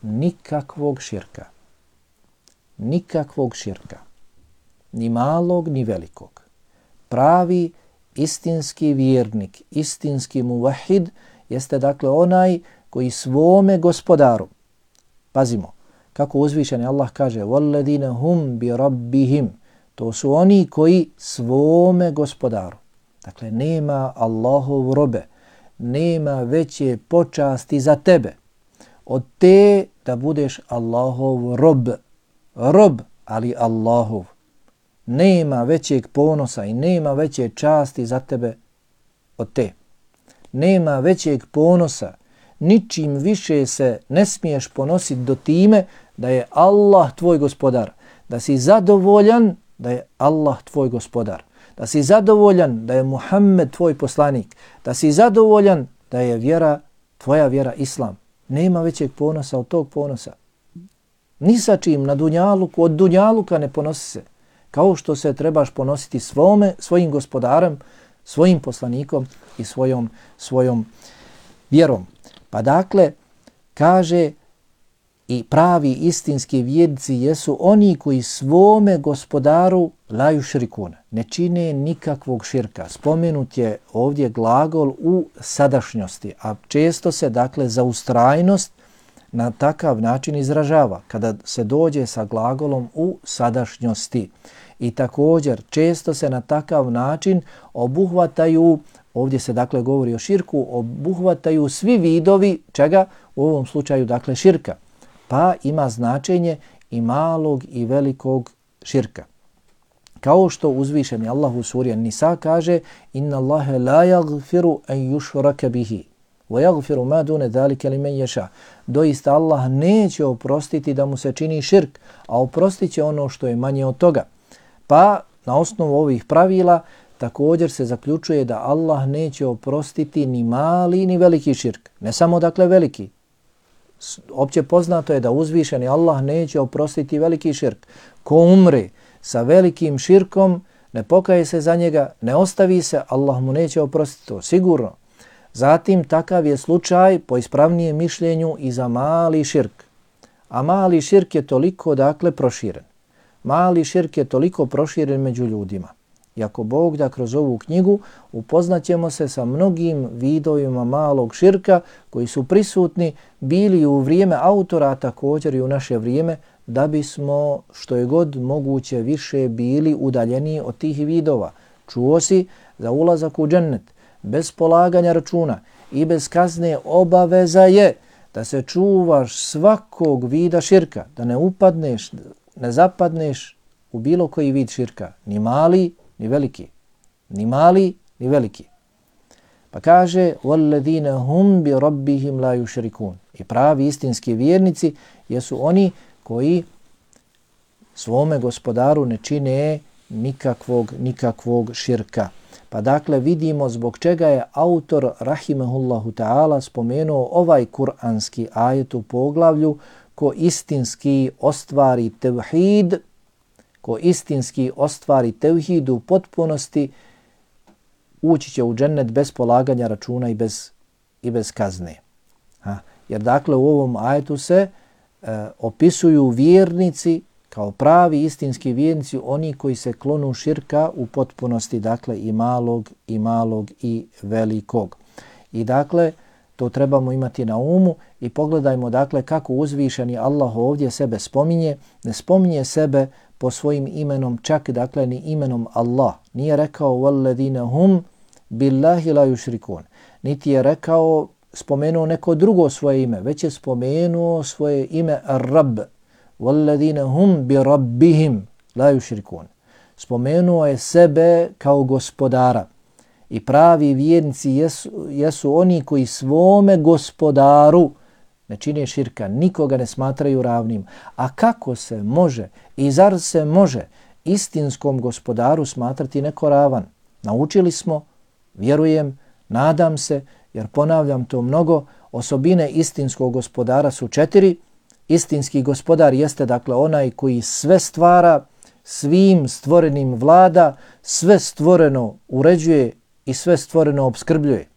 nikakvog širka. Nikakvog širka. Ni malog, ni velikog. Pravi istinski vjernik, istinski muvahid jeste dakle onaj koji svome gospodaru, pazimo, kako uzvišeni Allah kaže وَالَّذِينَ هُمْ بِرَبِّهِمْ, to su oni koji svome gospodaru. Dakle, nema Allahov robe, nema veće počasti za tebe od te da budeš Allahov rob. Rob, ali Allahov. Nema većeg ponosa i nema veće časti za tebe od te. Nema većeg ponosa, ničim više se ne smiješ ponositi do time da je Allah tvoj gospodar, da si zadovoljan da je Allah tvoj gospodar, da si zadovoljan da je Muhammed tvoj poslanik, da si zadovoljan da je vjera, tvoja vjera Islam. Nema većeg ponosa od tog ponosa. Ni sa čim na dunjaluku, od dunjaluka ne ponosi se. Kao što se trebaš ponositi svojim gospodarem, svojim poslanikom i svojom vjerom. Pa dakle, kaže i pravi istinski vjernici jesu oni koji svome gospodaru la yušrikun, ne čine nikakvog širka. Spomenut je ovdje glagol u sadašnjosti, a često se dakle za ustrajnost na takav način izražava kada se dođe sa glagolom u sadašnjosti. I također često se na takav način obuhvataju, ovdje se dakle govori o širku, obuhvataju svi vidovi čega, u ovom slučaju dakle širka. Pa ima značenje i malog i velikog širka. Kao što uzvišeni Allah u suri An-Nisa kaže inna Allahe la yaghfiru an yushraka bihi wa yaghfiru ma dune zalika limen yasha. Doista Allah neće oprostiti da mu se čini širk, a oprostit će ono što je manje od toga. Pa na osnovu ovih pravila također se zaključuje da Allah neće oprostiti ni mali ni veliki širk. Ne samo dakle veliki. Opće poznato je da uzvišeni Allah neće oprostiti veliki širk. Ko umre sa velikim širkom, ne pokaje se za njega, ne ostavi se, Allah mu neće oprostiti to, sigurno. Zatim takav je slučaj po ispravnijem mišljenju i za mali širk. A mali širk je toliko dakle proširen. Mali širk je toliko proširen među ljudima. I ako Bog da kroz ovu knjigu upoznaćemo se sa mnogim vidovima malog širka koji su prisutni bili u vrijeme autora, također i u naše vrijeme, da bismo što je god moguće više bili udaljeni od tih vidova. Čuo si za ulazak u džennet bez polaganja računa i bez kazne obaveza je da se čuvaš svakog vida širka, da ne upadneš, ne zapadneš u bilo koji vid širka, ni mali, ni veliki. Ni mali, ni veliki. Pa kaže وَالَّذِينَ هُمْ بِرَبِّهِمْ لَا يُشْرِكُونَ. I pravi istinski vjernici jesu oni koji svome gospodaru ne čine nikakvog širka. Pa dakle vidimo zbog čega je autor rahimehullahu ta'ala spomenuo ovaj kuranski ajet u poglavlju ko istinski ostvari tevhid, ko istinski ostvari tevhid u potpunosti, ući će u džennet bez polaganja računa i bez kazne. Jer dakle u ovom ajetu se opisuju vjernici kao pravi istinski vjernici, oni koji se klonu širka u potpunosti, dakle i malog i velikog. I dakle to trebamo imati na umu i pogledajmo dakle kako uzvišeni Allah ovdje sebe spominje. Ne spominje sebe po svojim imenom, čak dakle ni imenom Allah. Nije rekao وَالَّذِينَ هُمْ بِاللَّهِ لَا يُشْرِكُونَ. Niti je rekao, spomenuo neko drugo svoje ime, već je spomenuo svoje ime Ar-Rab. وَالَّذِينَ هُمْ بِرَبِّهِمْ لَا يُشْرِكُونَ. Spomenuo je sebe kao gospodara. I pravi vjernici jesu oni koji svome gospodaru ne čine širka, nikoga ne smatraju ravnim. A kako se može i zar se može istinskom gospodaru smatrati neko ravan? Naučili smo, vjerujem, nadam se, jer ponavljam to mnogo, osobine istinskog gospodara su 4. Istinski gospodar jeste dakle onaj koji sve stvara, svim stvorenim vlada, sve stvoreno uređuje i sve stvoreno opskrbljuje.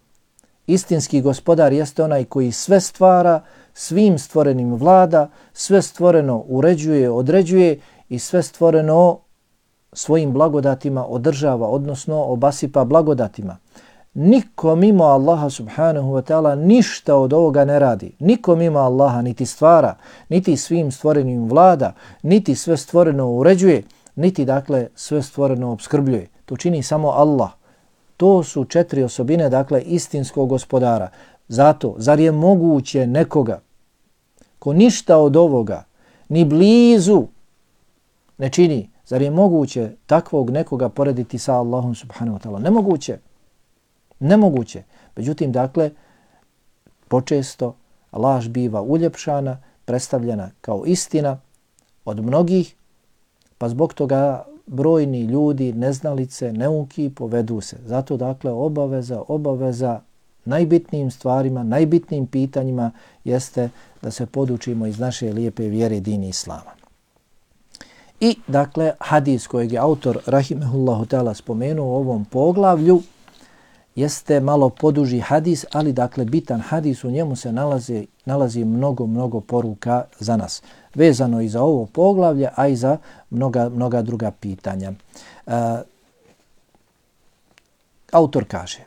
Istinski gospodar jeste onaj koji sve stvara, svim stvorenim vlada, sve stvoreno uređuje, određuje i sve stvoreno svojim blagodatima održava, odnosno obasipa blagodatima. Niko mimo Allaha subhanahu wa ta'ala ništa od ovoga ne radi. Niko mimo Allaha niti stvara, niti svim stvorenim vlada, niti sve stvoreno uređuje, niti dakle sve stvoreno opskrbljuje. To čini samo Allah. To su 4 osobine dakle istinskog gospodara. Zato, zar je moguće nekoga ko ništa od ovoga ni blizu ne čini, zar je moguće takvog nekoga porediti sa Allahom subhanahu wa ta'ala? Nemoguće. Nemoguće. Međutim, dakle, počesto laž biva uljepšana, predstavljena kao istina od mnogih, pa zbog toga brojni ljudi, neznalice, neuki povedu se. Zato, dakle, obaveza najbitnijim stvarima, najbitnijim pitanjima jeste da se podučimo iz naše lijepe vjere dini Islama. I, dakle, hadis kojeg je autor rahimehullahu ta'ala spomenuo u ovom poglavlju jeste malo poduži hadis, ali dakle bitan hadis, u njemu se nalazi mnogo poruka za nas. Vezano i za ovo poglavlje, a i za mnoga druga pitanja. Autor kaže: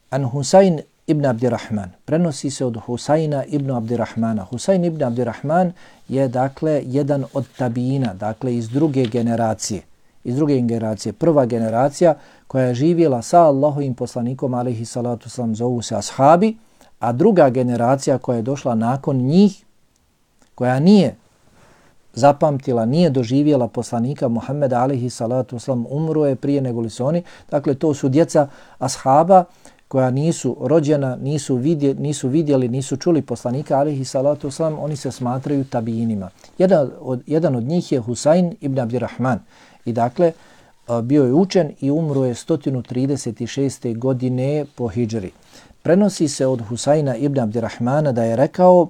An Husayn ibn Abdirrahman, prenosi se od Husajna ibn Abdirrahmana. Husayn ibn Abdirrahman je dakle jedan od tabijina, dakle iz druge generacije. Prva generacija koja je živjela sa Allahovim poslanikom alejhi salatu selam zovu se ashabi, a druga generacija koja je došla nakon njih, koja nije zapamtila, nije doživjela poslanika Muhammeda alejhi salatu selam, umro je prije nego li su oni. Dakle, to su djeca ashaba koja nisu rođena, nisu vidjeli, nisu čuli poslanika alejhi salatu selam, oni se smatraju tabijinima. Jedan od njih je Husayn ibn Abdirrahman. I dakle, bio je učen i umro je 136. godine po hidžri. Prenosi se od Husajna ibn Abdirrahmana da je rekao: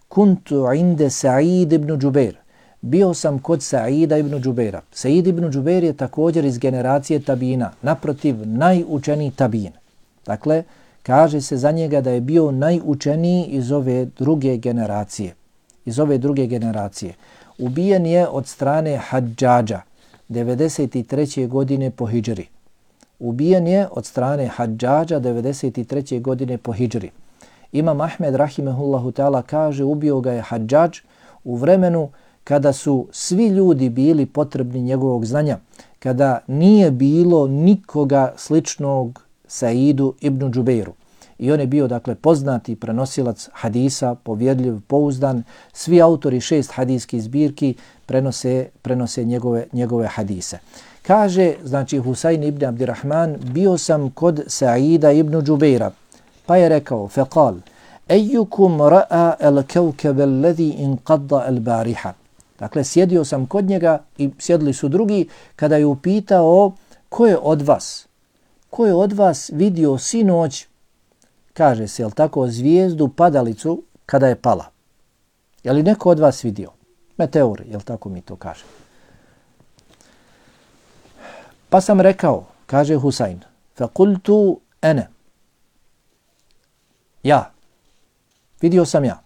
Kuntu inde Sa'id ibn Džubeir. Bio sam kod Sa'ida ibn Džubeira. Sa'id ibn Džubeir je također iz generacije tabina, naprotiv najučeniji tabin. Dakle, kaže se za njega da je bio najučeniji iz ove druge generacije. Ubijen je od strane Hadžađa 93. godine po hidžri. Ubijen je od strane Hadžađa 93. godine po hidžri. Imam Ahmed rahimehullahu ta'ala kaže: ubio ga je Hadžađ u vremenu kada su svi ljudi bili potrebni njegovog znanja, kada nije bilo nikoga sličnog Sa'idu ibn Džubeiru. I on je bio dakle poznati prenosilac hadisa, povjerljiv, pouzdan. Svi autori 6 hadijskih zbirki prenose njegove hadise. Kaže, znači, Husayn ibn Abdirrahman: bio sam kod Sa'ida ibn Džubeira, pa je rekao: faqal ejukum ra'a al-kawkab alladhi inqadda al-bariha. Dakle, sjedio sam kod njega i sjedili su drugi, kada je upitao: ko je od vas vidio sinoć, kaže se, jel tako, zvijezdu padalicu kada je pala? Je li neko od vas vidio? Meteor, jel tako mi to kaže? Pa sam rekao, kaže Husayn, faqultu ana. Ja. Vidio sam ja.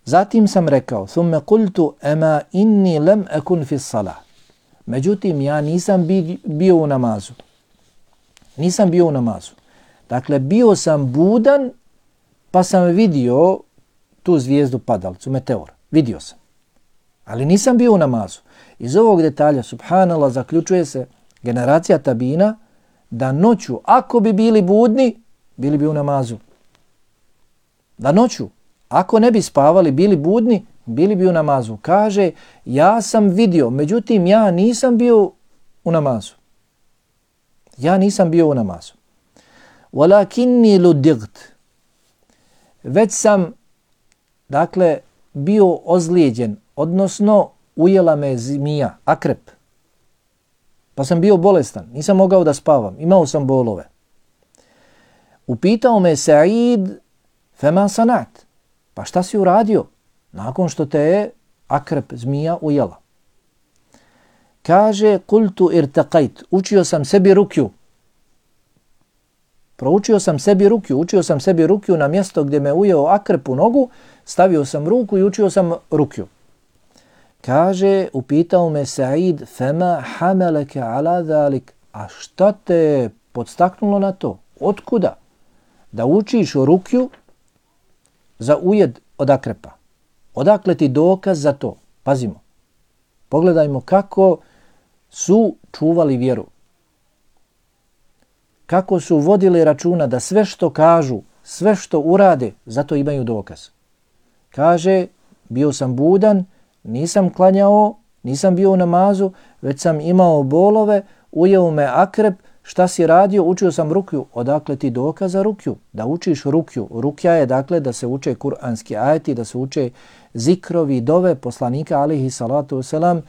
Zatim sam rekao, thumma qultu ama inni lam akun fi salah. Međutim, ja nisam bio u namazu. Dakle, bio sam budan, pa sam vidio tu zvijezdu padalicu, meteor. Vidio sam. Ali nisam bio u namazu. Iz ovog detalja, subhanallah, zaključuje se generacija tabina da noću, ako bi bili budni, bili bi u namazu. Da noću, ako ne bi spavali, bili budni, bili bi u namazu. Kaže, ja sam vidio, međutim, ja nisam bio u namazu. Walakinni ludigt. Već sam, dakle, bio ozlijeđen, odnosno ujela me zmija, akrep. Pa sam bio bolestan, nisam mogao da spavam, imao sam bolove. Upitao me Sa'id, fema sanat, pa šta si uradio nakon što te je akrep, zmija, ujela? Kaže, kultu irtaqajt, učio sam sebi rukju. Proučio sam sebi rukju, učio sam sebi rukju na mjesto gdje me ujeo akrep u nogu, stavio sam ruku i učio sam rukju. Kaže, upitao me Sa'id, fema hameleke ala dhalik, a šta te podstaknulo na to? Otkuda? Da učiš rukju za ujed od akrepa. Odakle ti dokaz za to? Pazimo. Pogledajmo kako su čuvali vjeru. Kako su vodili računa da sve što kažu, sve što urade, zato imaju dokaz. Kaže, bio sam budan, nisam klanjao, nisam bio u namazu, već sam imao bolove, ujeo me akrep, šta si radio? Učio sam rukju. Odakle ti dokaz za rukju? Da učiš rukju. Rukja je dakle da se uče kuranski ajeti, da se uče zikrovi, dove poslanika alejhi salatu vesselam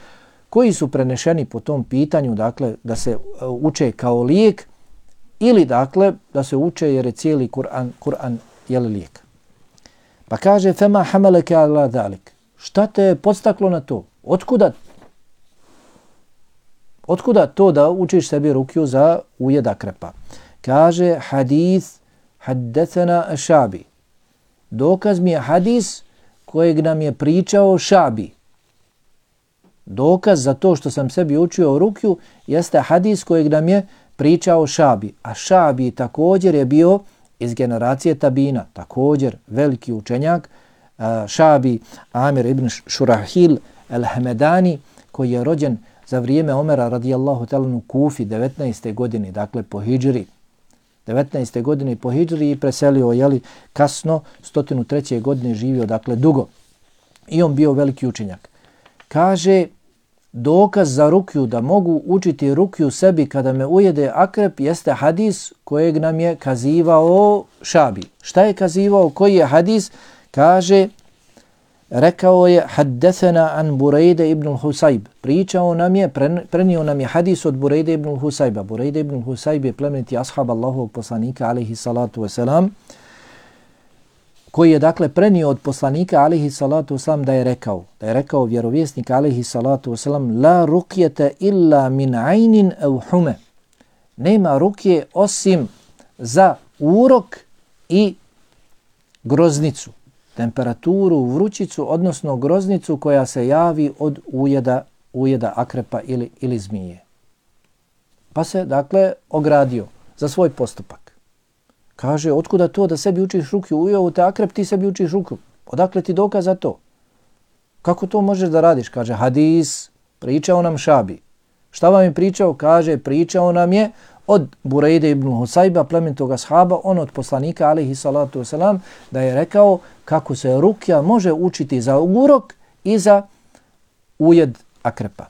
koji su prenešeni po tom pitanju, dakle da se uče kao lijek ili dakle da se uče jer je cijeli Kur'an je lijek. Pa kaže fema hamalaka ala zalik. Šta te je podstaklo na to? Otkuda to da učiš sebi rukju za ujed akrepa? Kaže hadith haddethana Šabi. Dokaz mi je hadis kojeg nam je pričao Šabi. Dokaz za to što sam sebi učio rukju jeste hadis kojeg nam je pričao Šabi. A Šabi također je bio iz generacije tabina, također veliki učenjak. Šabi Amir ibn Šurahil el-Hamedani koji je rođen za vrijeme Omera radijallahu ta'ala u Kufi 19. godine, dakle po hidžri. 19. godine po hidžri i preselio kasno, 103. godine živio, dakle dugo. I on bio veliki učenjak. Kaže, dokaz za rukju, da mogu učiti rukju sebi kada me ujede akrep, jeste hadis kojeg nam je kazivao Šabi. Šta je kazivao? Koji je hadis? Kaže, rekao je haddethena an Burejde ibn Husayb. Pričao nam je, prenio nam je hadis od Burejde ibn Husayba. Burejde ibn Husayb je plemeniti ashab Allahovog poslanika alejhi salatu vesselam, koji je dakle prenio od poslanika alejhi salatu vesselam da je rekao vjerovjesnik alejhi salatu vesselam la rukjete illa min aynin aw hume. Nema rukje osim za urok i groznicu, temperaturu, vrućicu, odnosno groznicu koja se javi od ujeda akrepa ili zmije. Pa se dakle ogradio za svoj postupak. Kaže, otkuda to da sebi učiš rukju? Ujeo te akrep, ti sebi učiš rukju. Odakle ti dokaz za to? Kako to možeš da radiš? Kaže, hadis, pričao nam Šabi. Šta vam je pričao? Kaže, pričao nam je od Burejde ibn Husayba, plemenitog ashaba, on od poslanika alejhi salatu vesselam, da je rekao kako se rukja može učiti za urok i za ujed akrepa.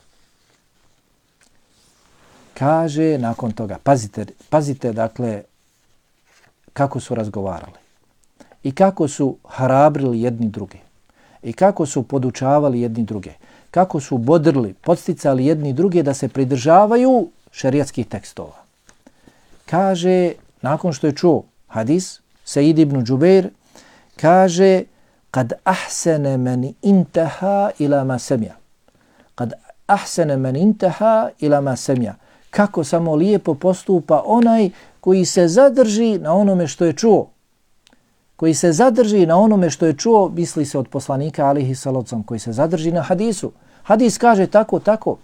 Kaže nakon toga, pazite dakle kako su razgovarali i kako su hrabrili jedni druge i kako su podučavali jedni druge, kako su bodrili, podsticali jedni druge da se pridržavaju šerijatskih tekstova. Kaže, nakon što je čuo hadis, Sejid ibn Džubeir, kaže, kad ahsene men intaha ila ma semja. Kad ahsene men intaha ila ma semja. Kako samo lijepo postupa onaj koji se zadrži na onome što je čuo. Koji se zadrži na onome što je čuo, misli se od poslanika alejhi salatu, koji se zadrži na hadisu. Hadis kaže tako,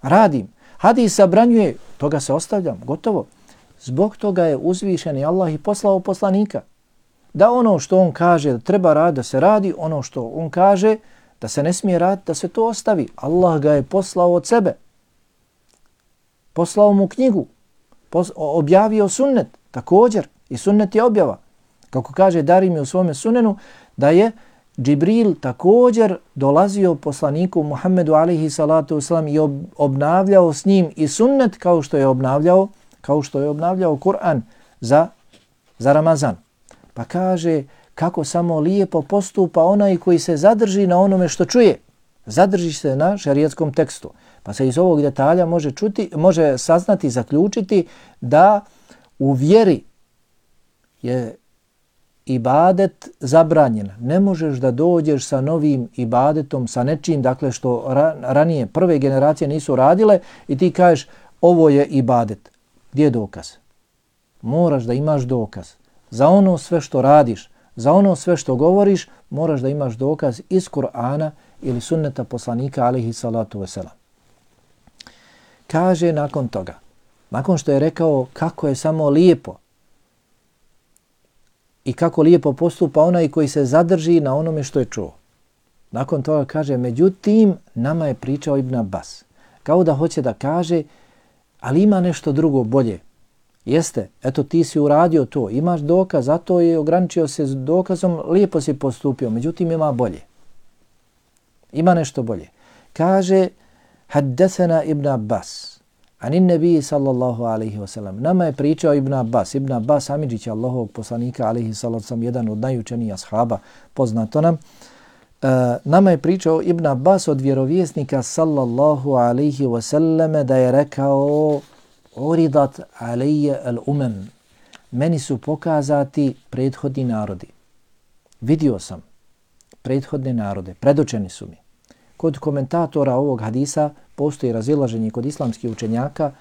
radim. Hadis zabranjuje, toga se ostavljam, gotovo. Zbog toga je uzvišeni Allah i poslao poslanika. Da ono što on kaže da treba raditi, da se radi, ono što on kaže da se ne smije raditi, da se to ostavi. Allah ga je poslao od sebe. Poslao mu knjigu. Objavio sunnet, također. I sunnet je objava. Kako kaže Darimi u svome sunenu, da je Džibril također dolazio poslaniku Muhammedu alejhi salatu vesselam i obnavljao s njim i sunnet kao što je obnavljao Kur'an za Ramazan. Pa kaže kako samo lijepo postupa onaj koji se zadrži na onome što čuje. Zadrži se na šerijatskom tekstu. Pa se iz ovog detalja može saznati, zaključiti da u vjeri je ibadet zabranjen. Ne možeš da dođeš sa novim ibadetom, sa nečim, dakle što ranije prve generacije nisu radile i ti kažeš ovo je ibadet. Gdje je dokaz? moraš da imaš dokaz. Za ono sve što radiš, za ono sve što govoriš, moraš da imaš dokaz iz Kur'ana ili sunneta poslanika alejhi salatu vesselam. Kaže nakon toga, nakon što je rekao kako je samo lijepo i kako lijepo postupa onaj koji se zadrži na onome što je čuo. Nakon toga kaže, međutim, nama je pričao Ibn Abbas. Kao da hoće da kaže, ali ima nešto drugo bolje. Jeste, eto ti si uradio to, imaš dokaz, zato je ograničio se s dokazom, lijepo si postupio, međutim ima bolje. Ima nešto bolje. Kaže, haddesena Ibn Abbas, anin nebiji sallallahu alaihi wasallam. Nama je pričao Ibn Abbas Amidžić, Allahovog poslanika alaihi sallallahu sallam, jedan od najučenijih ashaba, poznato nam. Nama je pričao Ibn Abbas od vjerovjesnika sallallahu alaihi wasallam da je rekao, uridat alejje al-umam. Meni su pokazati prethodni narodi. Vidio sam prethodne narode, predočeni su mi. Kod komentatora ovog hadisa postoji razilaženje kod islamskih učenjaka,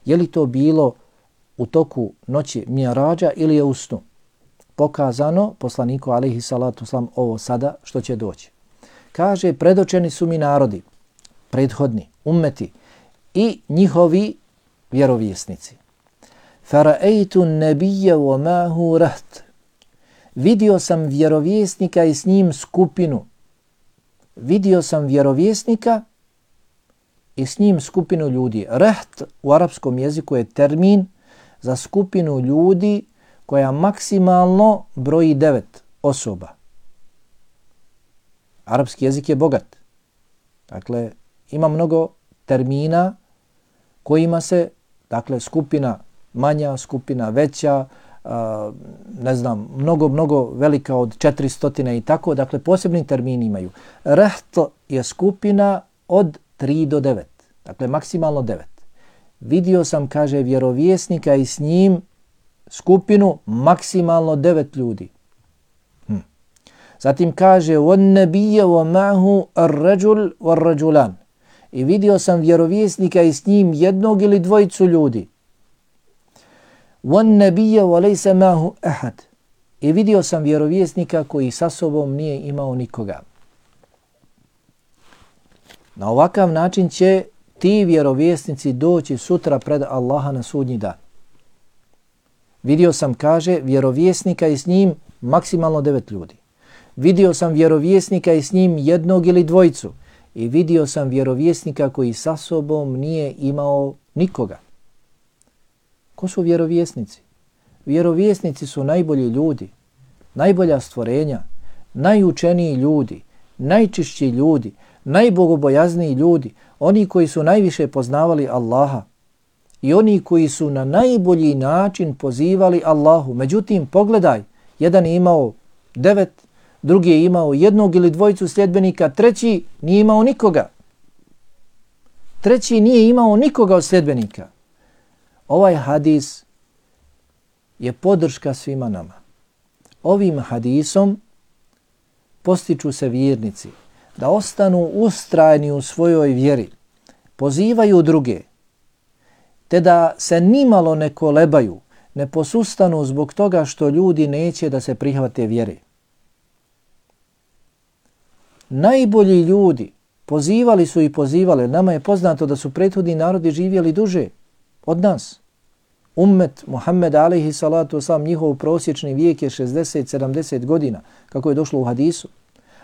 je li to bilo u toku noći Mi'rađa ili je u snu. Pokazano poslaniku alejhi salatu selam ovo sada što će doći. Kaže, predočeni su mi narodi, prethodni, ummeti i njihovi vjerovjesnici. Fara'aytu an-nabiyya wa ma'ahu raht. Vidio sam vjerovjesnika i s njim skupinu. Vidio sam vjerovjesnika i s njim skupinu ljudi. Raht u arapskom jeziku je termin za skupinu ljudi koja maksimalno broji 9 osoba. Arapski jezik je bogat. Dakle, ima mnogo termina kojima se, dakle, skupina manja, skupina veća, mnogo velika od 400 i tako, dakle, posebni termini imaju. Raht je skupina od 3 do 9, dakle, maksimalno 9. Vidio sam, kaže, vjerovjesnika i s njim skupinu maksimalno 9 ljudi. Zatim kaže, وَالنَّبِيَّ وَمَعْهُ الرَّجُلُ وَالرَّجُلَانِ. I vidio sam vjerovjesnika i s njim jednog ili dvojicu ljudi. وَالنَّبِيَّ وَلَيْسَ مَعْهُ أَحَدٍ. I vidio sam vjerovjesnika koji sa sobom nije imao nikoga. Na ovakav način će ti vjerovjesnici doći sutra pred Allaha na sudnji dan. Vidio sam, kaže, vjerovjesnika i s njim maksimalno 9 ljudi. Vidio sam vjerovjesnika i s njim jednog ili dvojicu. I vidio sam vjerovjesnika koji sa sobom nije imao nikoga. Ko su vjerovjesnici? Vjerovjesnici su najbolji ljudi, najbolja stvorenja, najučeniji ljudi, najčišći ljudi, najbogobojazniji ljudi, oni koji su najviše poznavali Allaha i oni koji su na najbolji način pozivali Allahu. Međutim, pogledaj, jedan je imao 9, drugi je imao jednog ili dvojicu sljedbenika, treći nije imao nikoga. Treći nije imao nikoga od sljedbenika. Ovaj hadis je podrška svima nama. Ovim hadisom postiču se vjernici da ostanu ustrajni u svojoj vjeri, pozivaju druge, te da se nimalo ne kolebaju, ne posustanu zbog toga što ljudi neće da se prihvate vjere. Najbolji ljudi pozivali su i pozivali. Nama je poznato da su prethodni narodi živjeli duže od nas. Ummet Muhammed alejhi salatu vesselam, njihov prosječni vijek je 60-70 godina, kako je došlo u hadisu.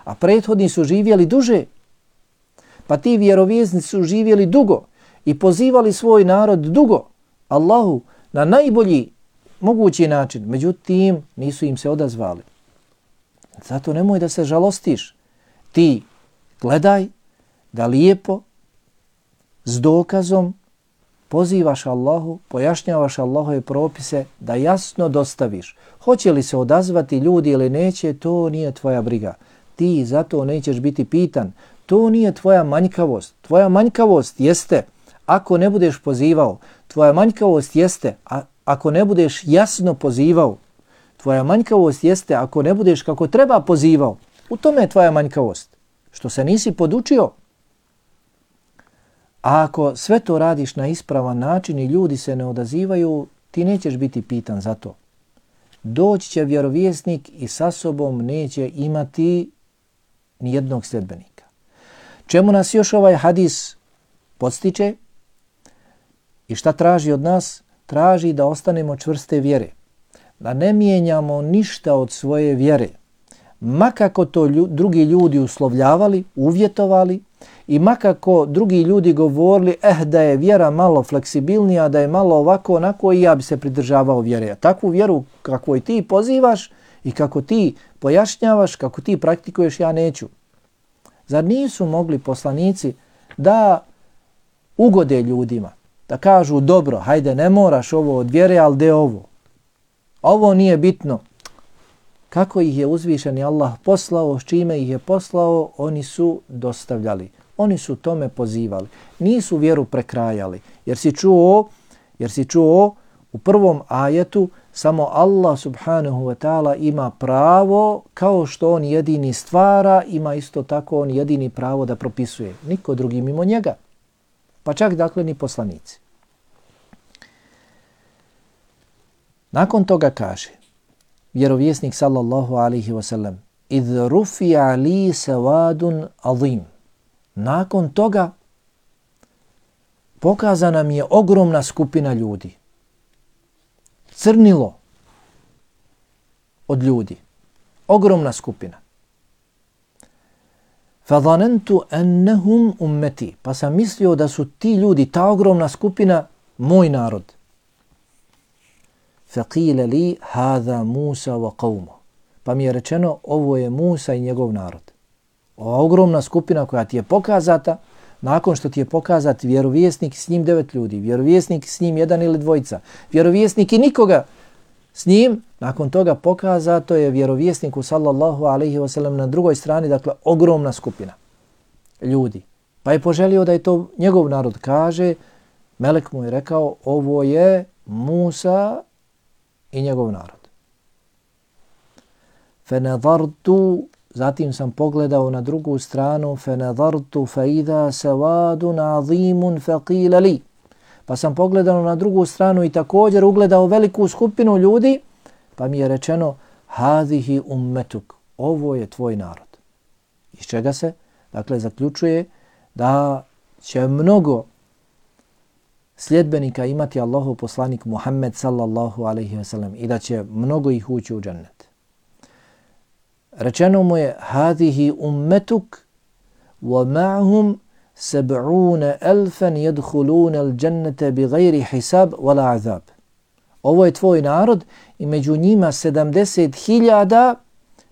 A prethodni su živjeli duže. Pa ti vjerovjesnici su živjeli dugo i pozivali svoj narod dugo Allahu na najbolji mogući način. Međutim, nisu im se odazvali. Zato nemoj da se žalostiš. Ti gledaj da lijepo, s dokazom, pozivaš Allahu, pojašnjavaš Allahove propise, da jasno dostaviš. Hoće li se odazvati ljudi ili neće, to nije tvoja briga. Ti zato nećeš biti pitan. To nije tvoja manjkavost. Tvoja manjkavost jeste ako ne budeš pozivao. Tvoja manjkavost jeste ako ne budeš jasno pozivao. Tvoja manjkavost jeste ako ne budeš kako treba pozivao. U tome je tvoja manjkavost. Što se nisi podučio. A ako sve to radiš na ispravan način i ljudi se ne odazivaju, ti nećeš biti pitan za to. Doći će vjerovjesnik i sa sobom neće imati ni jednog sljedbenika. Čemu nas još ovaj hadis podstiče i šta traži od nas? Traži da ostanemo čvrste vjere, da ne mijenjamo ništa od svoje vjere, makako to drugi ljudi uslovljavali, uvjetovali i makako drugi ljudi govorili da je vjera malo fleksibilnija, da je malo ovako onako i ja bi se pridržavao vjere. Takvu vjeru kako ti pozivaš i kako ti pojašnjavaš, kako ti praktikuješ, ja neću. Zar nisu mogli poslanici da ugode ljudima, da kažu dobro, hajde ne moraš ovo od vjere, ali de ovo. Ovo nije bitno. Kako ih je uzvišeni Allah poslao, s čime ih je poslao, oni su dostavljali. Oni su tome pozivali. Nisu vjeru prekrajali. Jer si čuo u prvom ajetu samo Allah subhanahu wa ta'ala ima pravo, kao što on jedini stvara, ima isto tako on jedini pravo da propisuje. Niko drugi mimo njega. Pa čak dakle ni poslanici. Nakon toga kaže vjerovjesnik sallallahu alaihi wa sallam idh rufi'a li sawadun azim. Nakon toga pokazana mi je ogromna skupina ljudi. Crnilo od ljudi. Ogromna skupina. Fadhanantu annahum ummeti. Pa sam mislio da su ti ljudi, ta ogromna skupina, moj narod. Faqila li hadha Musa wa qawmu. Pa mi je rečeno ovo je Musa i njegov narod. Ova ogromna skupina koja ti je pokazata, nakon što ti je pokazat vjerovjesnik s njim 9 ljudi, vjerovjesnik s njim 1 ili 2, vjerovjesnik i nikoga s njim, nakon toga pokazato je vjerovjesniku sallallahu alaihi wasallam na drugoj strani, dakle ogromna skupina ljudi. Pa je poželio da je to njegov narod. Kaže, melek mu je rekao ovo je Musa i njegov narod. Fenadartu, zatim sam pogledao na drugu stranu, fenadartu fa idha sawadun azimun faqila li. Pa sam pogledao na drugu stranu i također ugledao veliku skupinu ljudi, pa mi je rečeno hadihi ummetuk, ovo je tvoj narod. Iz čega se? Dakle, zaključuje da će mnogo sljedbenika imati Allahov poslanik Muhammed sallallahu alaihi wa sallam i da će mnogo ih ući u džennet. Rečeno mu je hadihi ummetuk wa ma'hum 70,000 yadkhuluna al-jannata bighayri hisab wala azab. Ovo je tvoj narod i među njima 70,000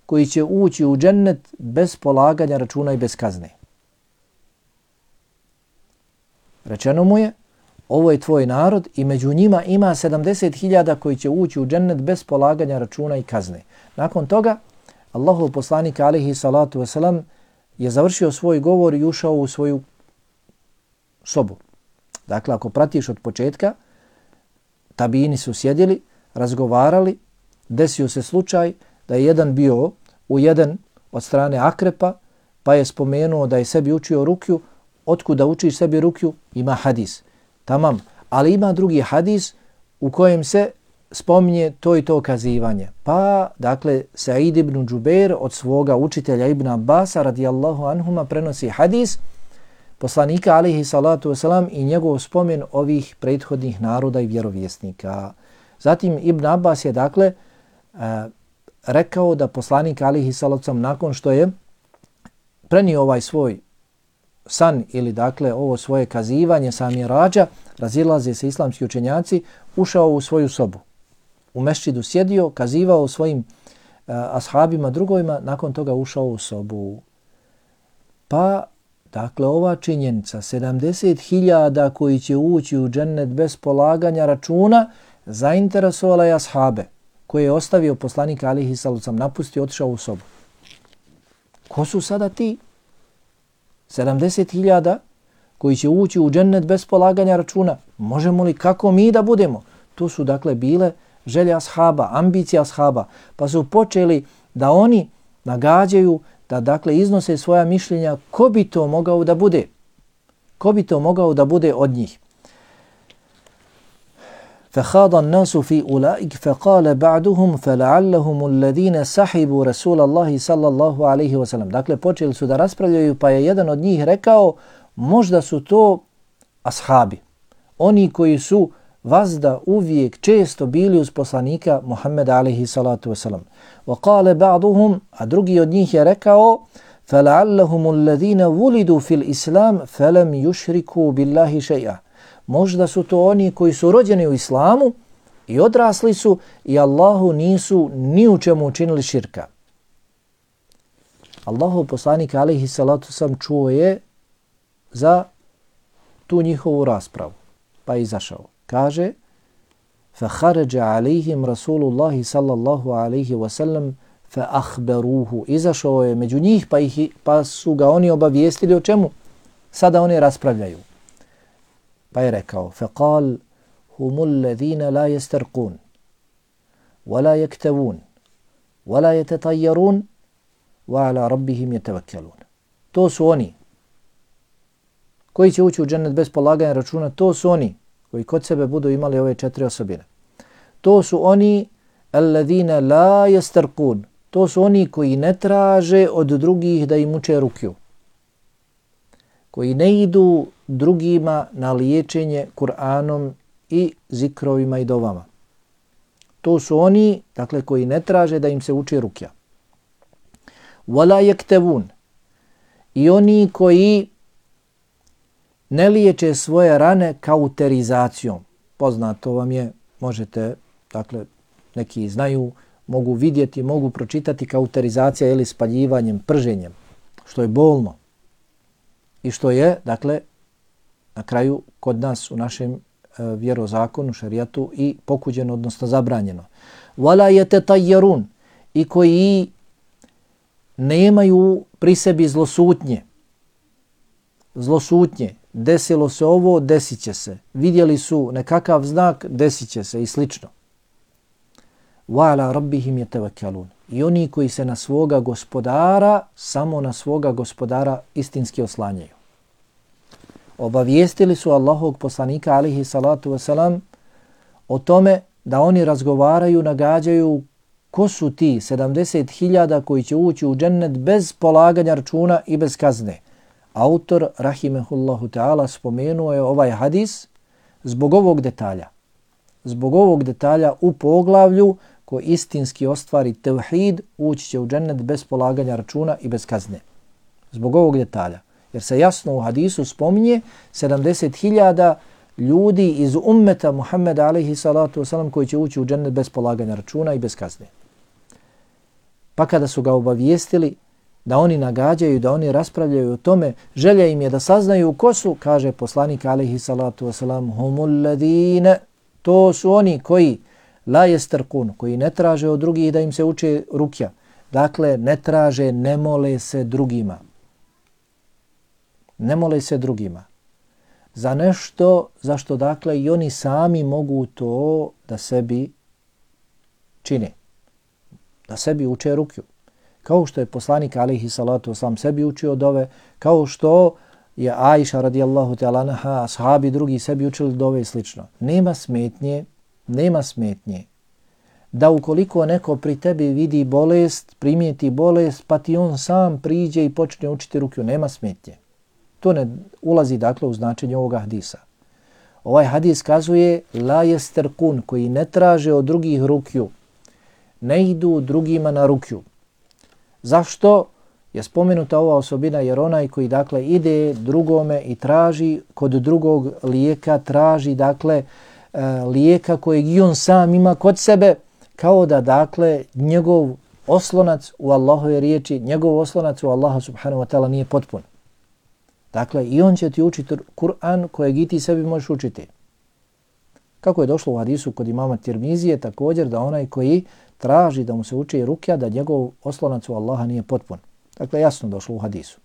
koji će ući u džennet bez polaganja računa i bez kazne. Rečeno mu je ovo je tvoj narod i među njima ima 70,000 koji će ući u džennet bez polaganja računa i kazne. Nakon toga Allahov poslanik alejhi salatu vesselam je završio svoj govor i ušao u svoju sobu. Dakle, ako pratiš od početka, tabini su sjedili, razgovarali, desio se slučaj da je jedan bio ujeden od strane akrepa, pa je spomenuo da je sebi učio rukju. Otkuda učiš sebi rukju? Ima hadis. Tamam, ali ima drugi hadis u kojem se spominje to i to kazivanje. Pa, dakle, Sa'id ibn Džubeir od svoga učitelja Ibn Abbasa radijallahu anhuma prenosi hadis poslanika alaihi salatu wasalam i njegov spomen ovih prethodnih naroda i vjerovjesnika. Zatim Ibn Abbas je, dakle, rekao da poslanik alaihi salatu wasalam nakon što je prenio ovaj svoj san ili dakle ovo svoje kazivanje sa Mirađa, razilaze se islamski učenjaci, ušao u svoju sobu. U mešćidu sjedio, kazivao svojim ashabima, drugovima, nakon toga ušao u sobu. Pa, dakle, ova činjenica, 70,000 koji će ući u džennet bez polaganja računa, zainteresovala je ashabe, koje je ostavio poslanik alejhi salatu vesselam, napustio, otišao u sobu. Ko su sada ti? 70,000 koji će ući u džennet bez polaganja računa. Možemo li, kako mi da budemo? To su dakle bile želje ashaba, ambicije ashaba, pa su počeli da oni nagađaju, da dakle iznose svoja mišljenja ko bi to mogao da bude. Ko bi to mogao da bude od njih? فَخَاضَ النَّاسُ فِي أُولَئِكَ فَقَالَ بَعْدُهُمْ فَلَعَلَّهُمُ الَّذِينَ سَحِبُوا رَسُولَ اللَّهِ صَلَّى اللَّهُ عَلَيْهِ وَسَلَّمَ. Dakle, počeli su da raspravljaju, pa je jedan od njih rekao, možda su to ashabi, oni koji su vazda uvijek često bili uz poslanika Muhammeda alaihi salatu wasalam. وَقَالَ بَعْضُهُمْ, a drugi od njih je rekao, فَلَعَلَّهُمُ الَّذِينَ وُلِدُوا فِي الْإِسْلَامِ فَلَمْ يُشْرِكُوا بِاللَّهِ شَيْئًا. Možda su to oni koji su rođeni u islamu i odrasli su i Allahu nisu ni u čemu učinili širka. Allahov poslanik alejhi salatu wasalam čuo je za tu njihovu raspravu, pa je izašao. Kaže, فَخَرَجَ عَلَيْهِمْ رَسُولُ اللَّهِ صَلَّى اللَّهُ عَلَيْهِ وَسَلَّمْ فَأَخْبَرُوهُ. Izašao je među njih pa su ga oni obavijestili o čemu sada oni raspravljaju. Pa je rekao, فَقَالْ هُمُ الَّذِينَ لَا يَسْتَرْقُونَ وَلَا يَكْتَوُونَ وَلَا يَتَطَيَّرُونَ وَعَلَى رَبِّهِمْ يَتَوَكَّلُونَ. To su oni koji će ući u džennet bez polaganja računa, to su oni koji kod sebe budu imali ove 4 osobine. To su oni alladhina la yastarqun. To su oni koji ne traže od drugih da im uče rukju. Koji ne idu drugima na liječenje Kur'anom i zikrovima i dovama. To su oni, dakle, koji ne traže da im se uči rukja. Wala yaktavun. I oni koji ne liječe svoje rane kauterizacijom. Poznato vam je, možete, dakle, neki znaju, mogu vidjeti, mogu pročitati kauterizacija ili spaljivanjem, prženjem, što je bolno i što je, dakle, na kraju kod nas u našem vjerozakonu, šerijatu i pokuđeno, odnosno zabranjeno. Wala yatatayyarun. I koji nemaju pri sebi zlosutnje. Zlosutnje. Desilo se ovo, desit će se. Vidjeli su nekakav znak, desit će se i slično. وَعَلَى رَبِّهِمْ يَتَوَكَّلُونَ. I oni koji se na svoga gospodara, samo na svoga gospodara istinski oslanjaju. Obavijestili su Allahovog poslanika alejhi salatu wasalam o tome da oni razgovaraju, nagađaju ko su ti 70.000 koji će ući u džennet bez polaganja računa i bez kazne. Autor, rahimehullahu ta'ala, spomenuo je ovaj hadis zbog ovog detalja. Zbog ovog detalja u poglavlju ko istinski ostvari tevhid, ući će u džennet bez polaganja računa i bez kazne. Zbog ovog detalja. Jer se jasno u hadisu spominje 70.000 ljudi iz ummeta Muhammeda alejhi salatu wasalam koji će ući u džennet bez polaganja računa i bez kazne. Pa kada su ga obavijestili da oni nagađaju, da oni raspravljaju o tome, želja im je da saznaju ko su, kaže poslanik alejhi salatu wasalam, humul ladine, to su oni koji la yastarqun, koji ne traže od drugih da im se uče rukja. Dakle, ne traže, ne mole se drugima. Ne mole se drugima. Za nešto, zašto dakle i oni sami mogu to da sebi čine. Da sebi uče rukju. Kao što je poslanik alejhi salatu wasalam sebi učio dove, kao što je Ajša radijallahu ta'ala anha, ashabi drugi sebi učili dove i slično. Nema smetnje da ukoliko neko pri tebi vidi bolest, primijeti bolest, pa ti on sam priđe i počne učiti rukju, nema smetnje. To ne ulazi dakle u značenje ovoga hadisa. Ovaj hadis kazuje la yastarqun, koji ne traže od drugih rukju, ne idu drugima na rukju. Zašto je spomenuta ova osobina? Jer onaj koji dakle ide drugome i traži kod drugog lijeka, traži dakle lijeka kojeg i on sam ima kod sebe, kao da dakle njegov oslonac u Allahove riječi, njegov oslonac u Allaha subhanahu wa ta'ala nije potpun. Dakle, i on će ti učiti Kur'an kojeg i ti sebi možeš učiti. Kako je došlo u hadisu kod imama Tirmizije, također da onaj koji traži da mu se uči rukja, da njegov oslonac u Allaha nije potpun. Dakle, jasno došlo u hadisu.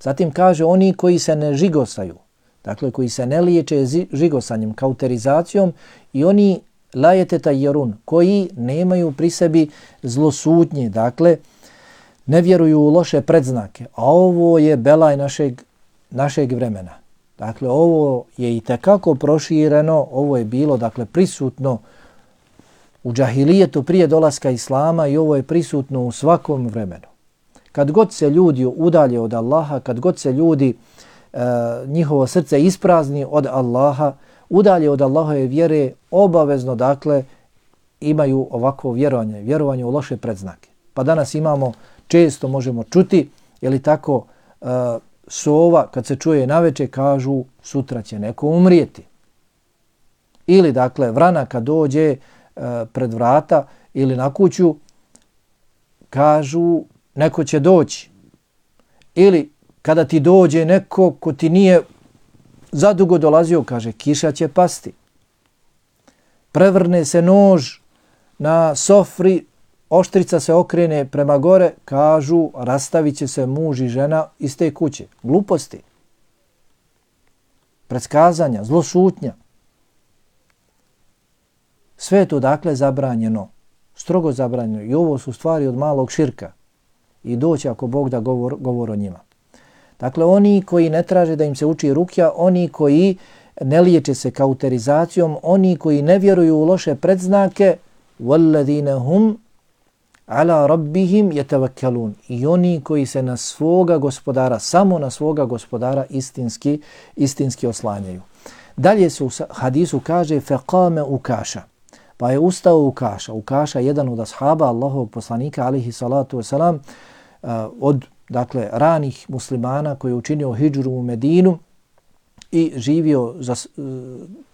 Zatim kaže oni koji se ne žigosaju, dakle koji se ne liječe žigosanjem, kauterizacijom, i oni la yatatayyarun, koji nemaju pri sebi zlosutnje, dakle ne vjeruju u loše predznake. A ovo je belaj našeg vremena. Dakle, ovo je i tekako prošireno, ovo je bilo dakle prisutno u džahilijetu prije dolaska Islama i ovo je prisutno u svakom vremenu. Kad god se ljudi udalje od Allaha, kad god se ljudi, njihovo srce isprazni od Allaha, udalje od Allahove vjere, obavezno dakle imaju ovakvo vjerovanje u loše predznake. Pa danas imamo, često možemo čuti, je li tako, sova kad se čuje naveče kažu sutra će neko umrijeti. Ili dakle vrana kad dođe pred vrata ili na kuću kažu neko će doći. Ili kada ti dođe neko ko ti nije zadugo dolazio, kaže kiša će pasti. Prevrne se nož na sofri, oštrica se okrene prema gore, kažu rastavit će se muž i žena iz te kuće. Gluposti, predskazanja, zlošutnja. Sve je to dakle zabranjeno, strogo zabranjeno i ovo su stvari od malog širka i doći ako Bog da govor o njima. Dakle, oni koji ne traže da im se uči rukja, oni koji ne liječe se kauterizacijom, oni koji ne vjeruju u loše predznake, وَالَّذِينَ هُمْ عَلَى رَبِّهِمْ يَتَوَكَّلُونَ i oni koji se na svoga gospodara, samo na svoga gospodara istinski oslanjaju. Dalje se u hadisu kaže فَقَامَ Ukaša, pa je ustao Ukaša. Ukaša je jedan od ashaba Allahovog poslanika alihi salatu wasalam, od dakle ranih muslimana koji je učinio hidžru u Medinu i živio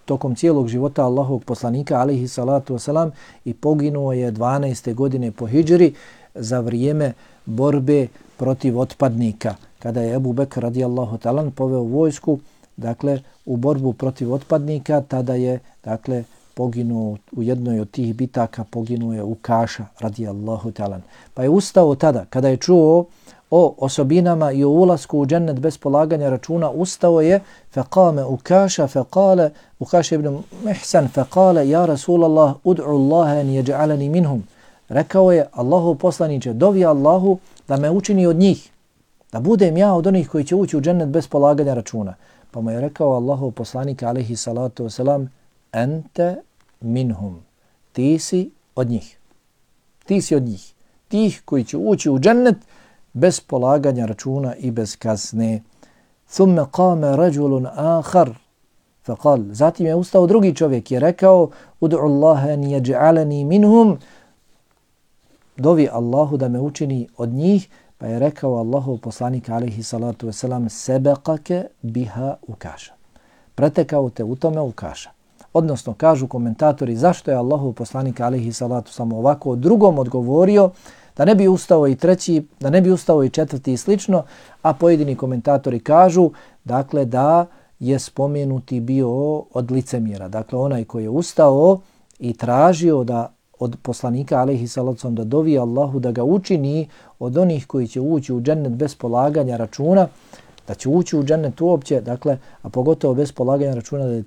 tokom cijelog života Allahovog poslanika alihi salatu wasalam i poginuo je 12. godine po hidžri za vrijeme borbe protiv otpadnika. Kada je Ebu Bekr radijallahu talan poveo vojsku dakle u borbu protiv otpadnika, tada je dakle poginuo u jednoj od tih bitaka, poginuo je Ukaša radijallahu talan. Pa je ustao tada kada je čuo o osobinama i o ulasku u džennet bez polaganja računa, ustao je faqame Ukaša faqale Ukaša ibn Mihsan faqale ja Rasulallah ud'u Allaha an yaj'alani minhum. Rekao je Allahov poslanice, dovi Allahu da me učini od njih, da budem ja od onih koji će ući u džennet bez polaganja računa. Pa mu je rekao Allahov poslanik alejhi salatu vesselam ente minhum, ti si od njih. Ti si od njih. Tih koji će ući u džennet bez polaganja računa i bez kazne. Thumme qame rajulun akhar faqal. Zatim je ustao drugi čovjek i rekao ud'u Allaha an yaj'alani minhum. Dovi Allahu da me učini od njih. Pa je rekao Allahov poslanik alejhi salatu vesselam sebaqaka biha Ukaša. Pretekao te u tome Ukaša. Odnosno, kažu komentatori, zašto je Allahov poslanik alejhi salatu samo ovako drugom odgovorio, da ne bi ustao i treći, da ne bi ustao i četvrti i slično, a pojedini komentatori kažu, dakle, da je spomenuti bio od licemjera. Dakle, onaj koji je ustao i tražio da od poslanika alejhi salatu da dovi Allahu da ga učini od onih koji će ući u džennet bez polaganja računa, da će ući u džennet uopće, dakle, a pogotovo bez polaganja računa da je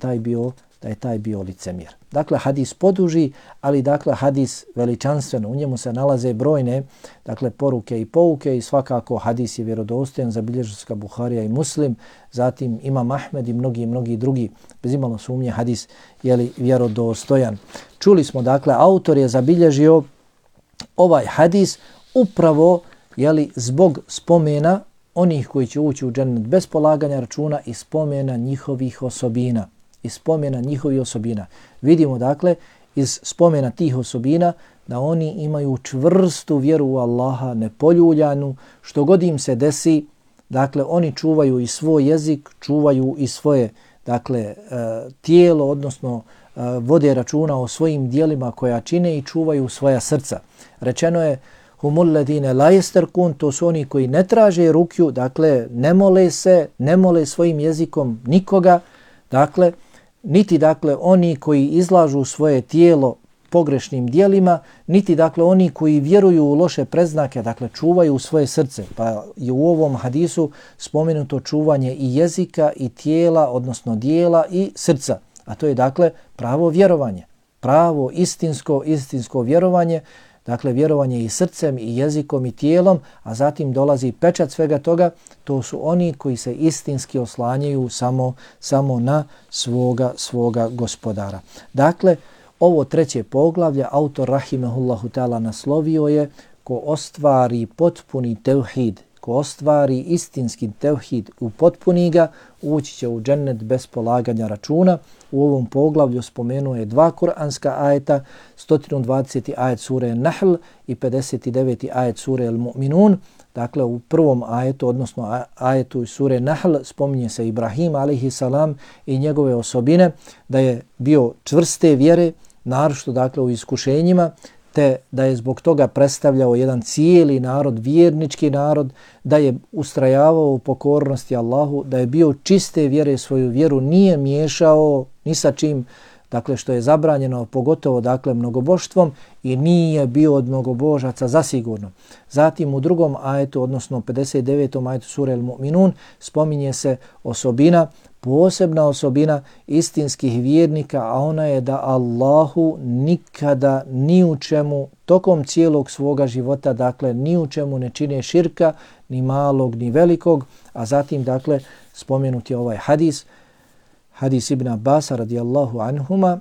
taj bio licemjer. Dakle, hadis poduži, ali dakle hadis veličanstveno. U njemu se nalaze brojne dakle poruke i pouke i svakako hadis je vjerodostojan, zabilježio ga Buharija i Muslim, zatim Imam Ahmed i mnogi drugi. Bez imalo sumnje hadis je vjerodostojan. Čuli smo dakle, autor je zabilježio ovaj hadis upravo zbog spomena onih koji će ući u džennet bez polaganja računa i spomena njihovih osobina. Vidimo dakle iz spomena tih osobina da oni imaju čvrstu vjeru u Allaha, nepoljuljanu, što god im se desi, dakle oni čuvaju i svoj jezik, čuvaju i svoje dakle tijelo, odnosno vode računa o svojim dijelima koja čine i čuvaju svoja srca. Rečeno je humul ladine la yasterkun, to su oni koji ne traže rukju, dakle ne mole svojim jezikom nikoga, dakle niti dakle oni koji izlažu svoje tijelo pogrešnim dijelima, niti dakle oni koji vjeruju u loše predznake, dakle čuvaju svoje srce. Pa je u ovom hadisu spomenuto čuvanje i jezika i tijela, odnosno dijela i srca. A to je dakle pravo vjerovanje, pravo istinsko vjerovanje dakle vjerovanje i srcem i jezikom i tijelom, a zatim dolazi pečat svega toga, to su oni koji se istinski oslanjaju samo na svoga gospodara. Dakle, ovo treće poglavlje autor rahimehullahu ta'ala naslovio je ko ostvari potpuni tevhid, ko ostvari istinski tevhid, upotpuni ga, ući će u džennet bez polaganja računa. U ovom poglavlju spomenuo je 2 kuranska ajeta, 120. ajet sure Nahl i 59. ajet sure Al-Mu'minun. Dakle, u prvom ajetu, odnosno ajetu sure Nahl, spominje se Ibrahim a.s. i njegove osobine, da je bio čvrste vjere, naročito dakle u iskušenjima, te da je zbog toga predstavljao jedan cijeli narod, vjernički narod, da je ustrajavao u pokornosti Allahu, da je bio čiste vjere, svoju vjeru nije miješao ni sa čim, dakle što je zabranjeno, pogotovo dakle mnogoboštvom, i nije bio od mnogobožaca zasigurno. Zatim u drugom ajetu, odnosno 59. ajetu sure Al-Mu'minun, spominje se osobina, posebna osobina istinskih vjernika, a ona je da Allahu nikada ni u čemu tokom cijelog svoga života, dakle ni u čemu ne čine širka, ni malog ni velikog. A zatim dakle spomenuti je ovaj hadis Ibn Abbasa radijallahu anhuma,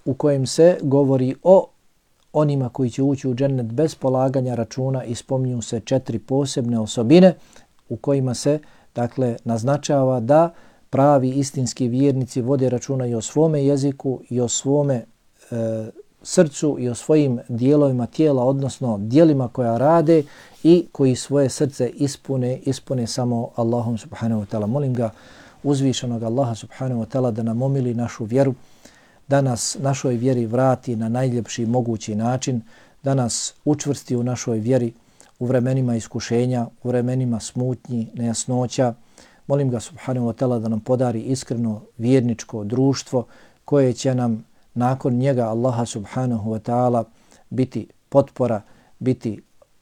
u kojem se govori o onima koji će ući u džennet bez polaganja računa i spominju se 4 posebne osobine u kojima se dakle naznačava da pravi istinski vjernici vode računa i o svome jeziku i o svome srcu i o svojim dijelovima tijela, odnosno dijelima koja rade i koji svoje srce ispune samo Allahom subhanahu wa ta'ala. Molim ga uzvišenog Allaha subhanahu wa ta'ala da nam omili našu vjeru, da nas našoj vjeri vrati na najljepši mogući način, da nas učvrsti u našoj vjeri u vremenima iskušenja, u vremenima smutnji, nejasnoća. Molim ga subhanahu wa ta'ala da nam podari iskreno vjerničko društvo koje će nam nakon njega Allaha subhanahu wa ta'ala biti potpora, biti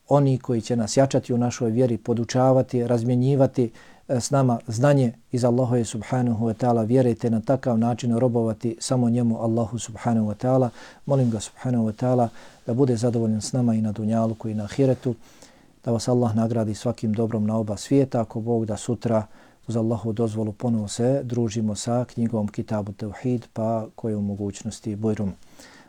oni koji će nas jačati u našoj vjeri, podučavati, razmjenjivati s nama znanje iz Allahove subhanahu wa ta'ala vjere, te na takav način robovati samo njemu Allahu subhanahu wa ta'ala. Molim ga subhanahu wa ta'ala da bude zadovoljan s nama i na dunjaluku i na ahiretu, da vas Allah nagradi svakim dobrom na oba svijeta, ako Bog da sutra uz Allahu dozvolu ponovo se družimo sa knjigom Kitabu Tevhid, pa koje u mogućnosti bujrum.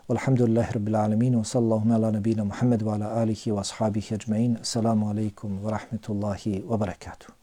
Walhamdulillahi rabbil alamin, wa sallallahu ala nabina Muhammad wa ala alihi wa ashabihi ajma'in. Assalamu alaikum wa rahmetullahi wa barakatuh.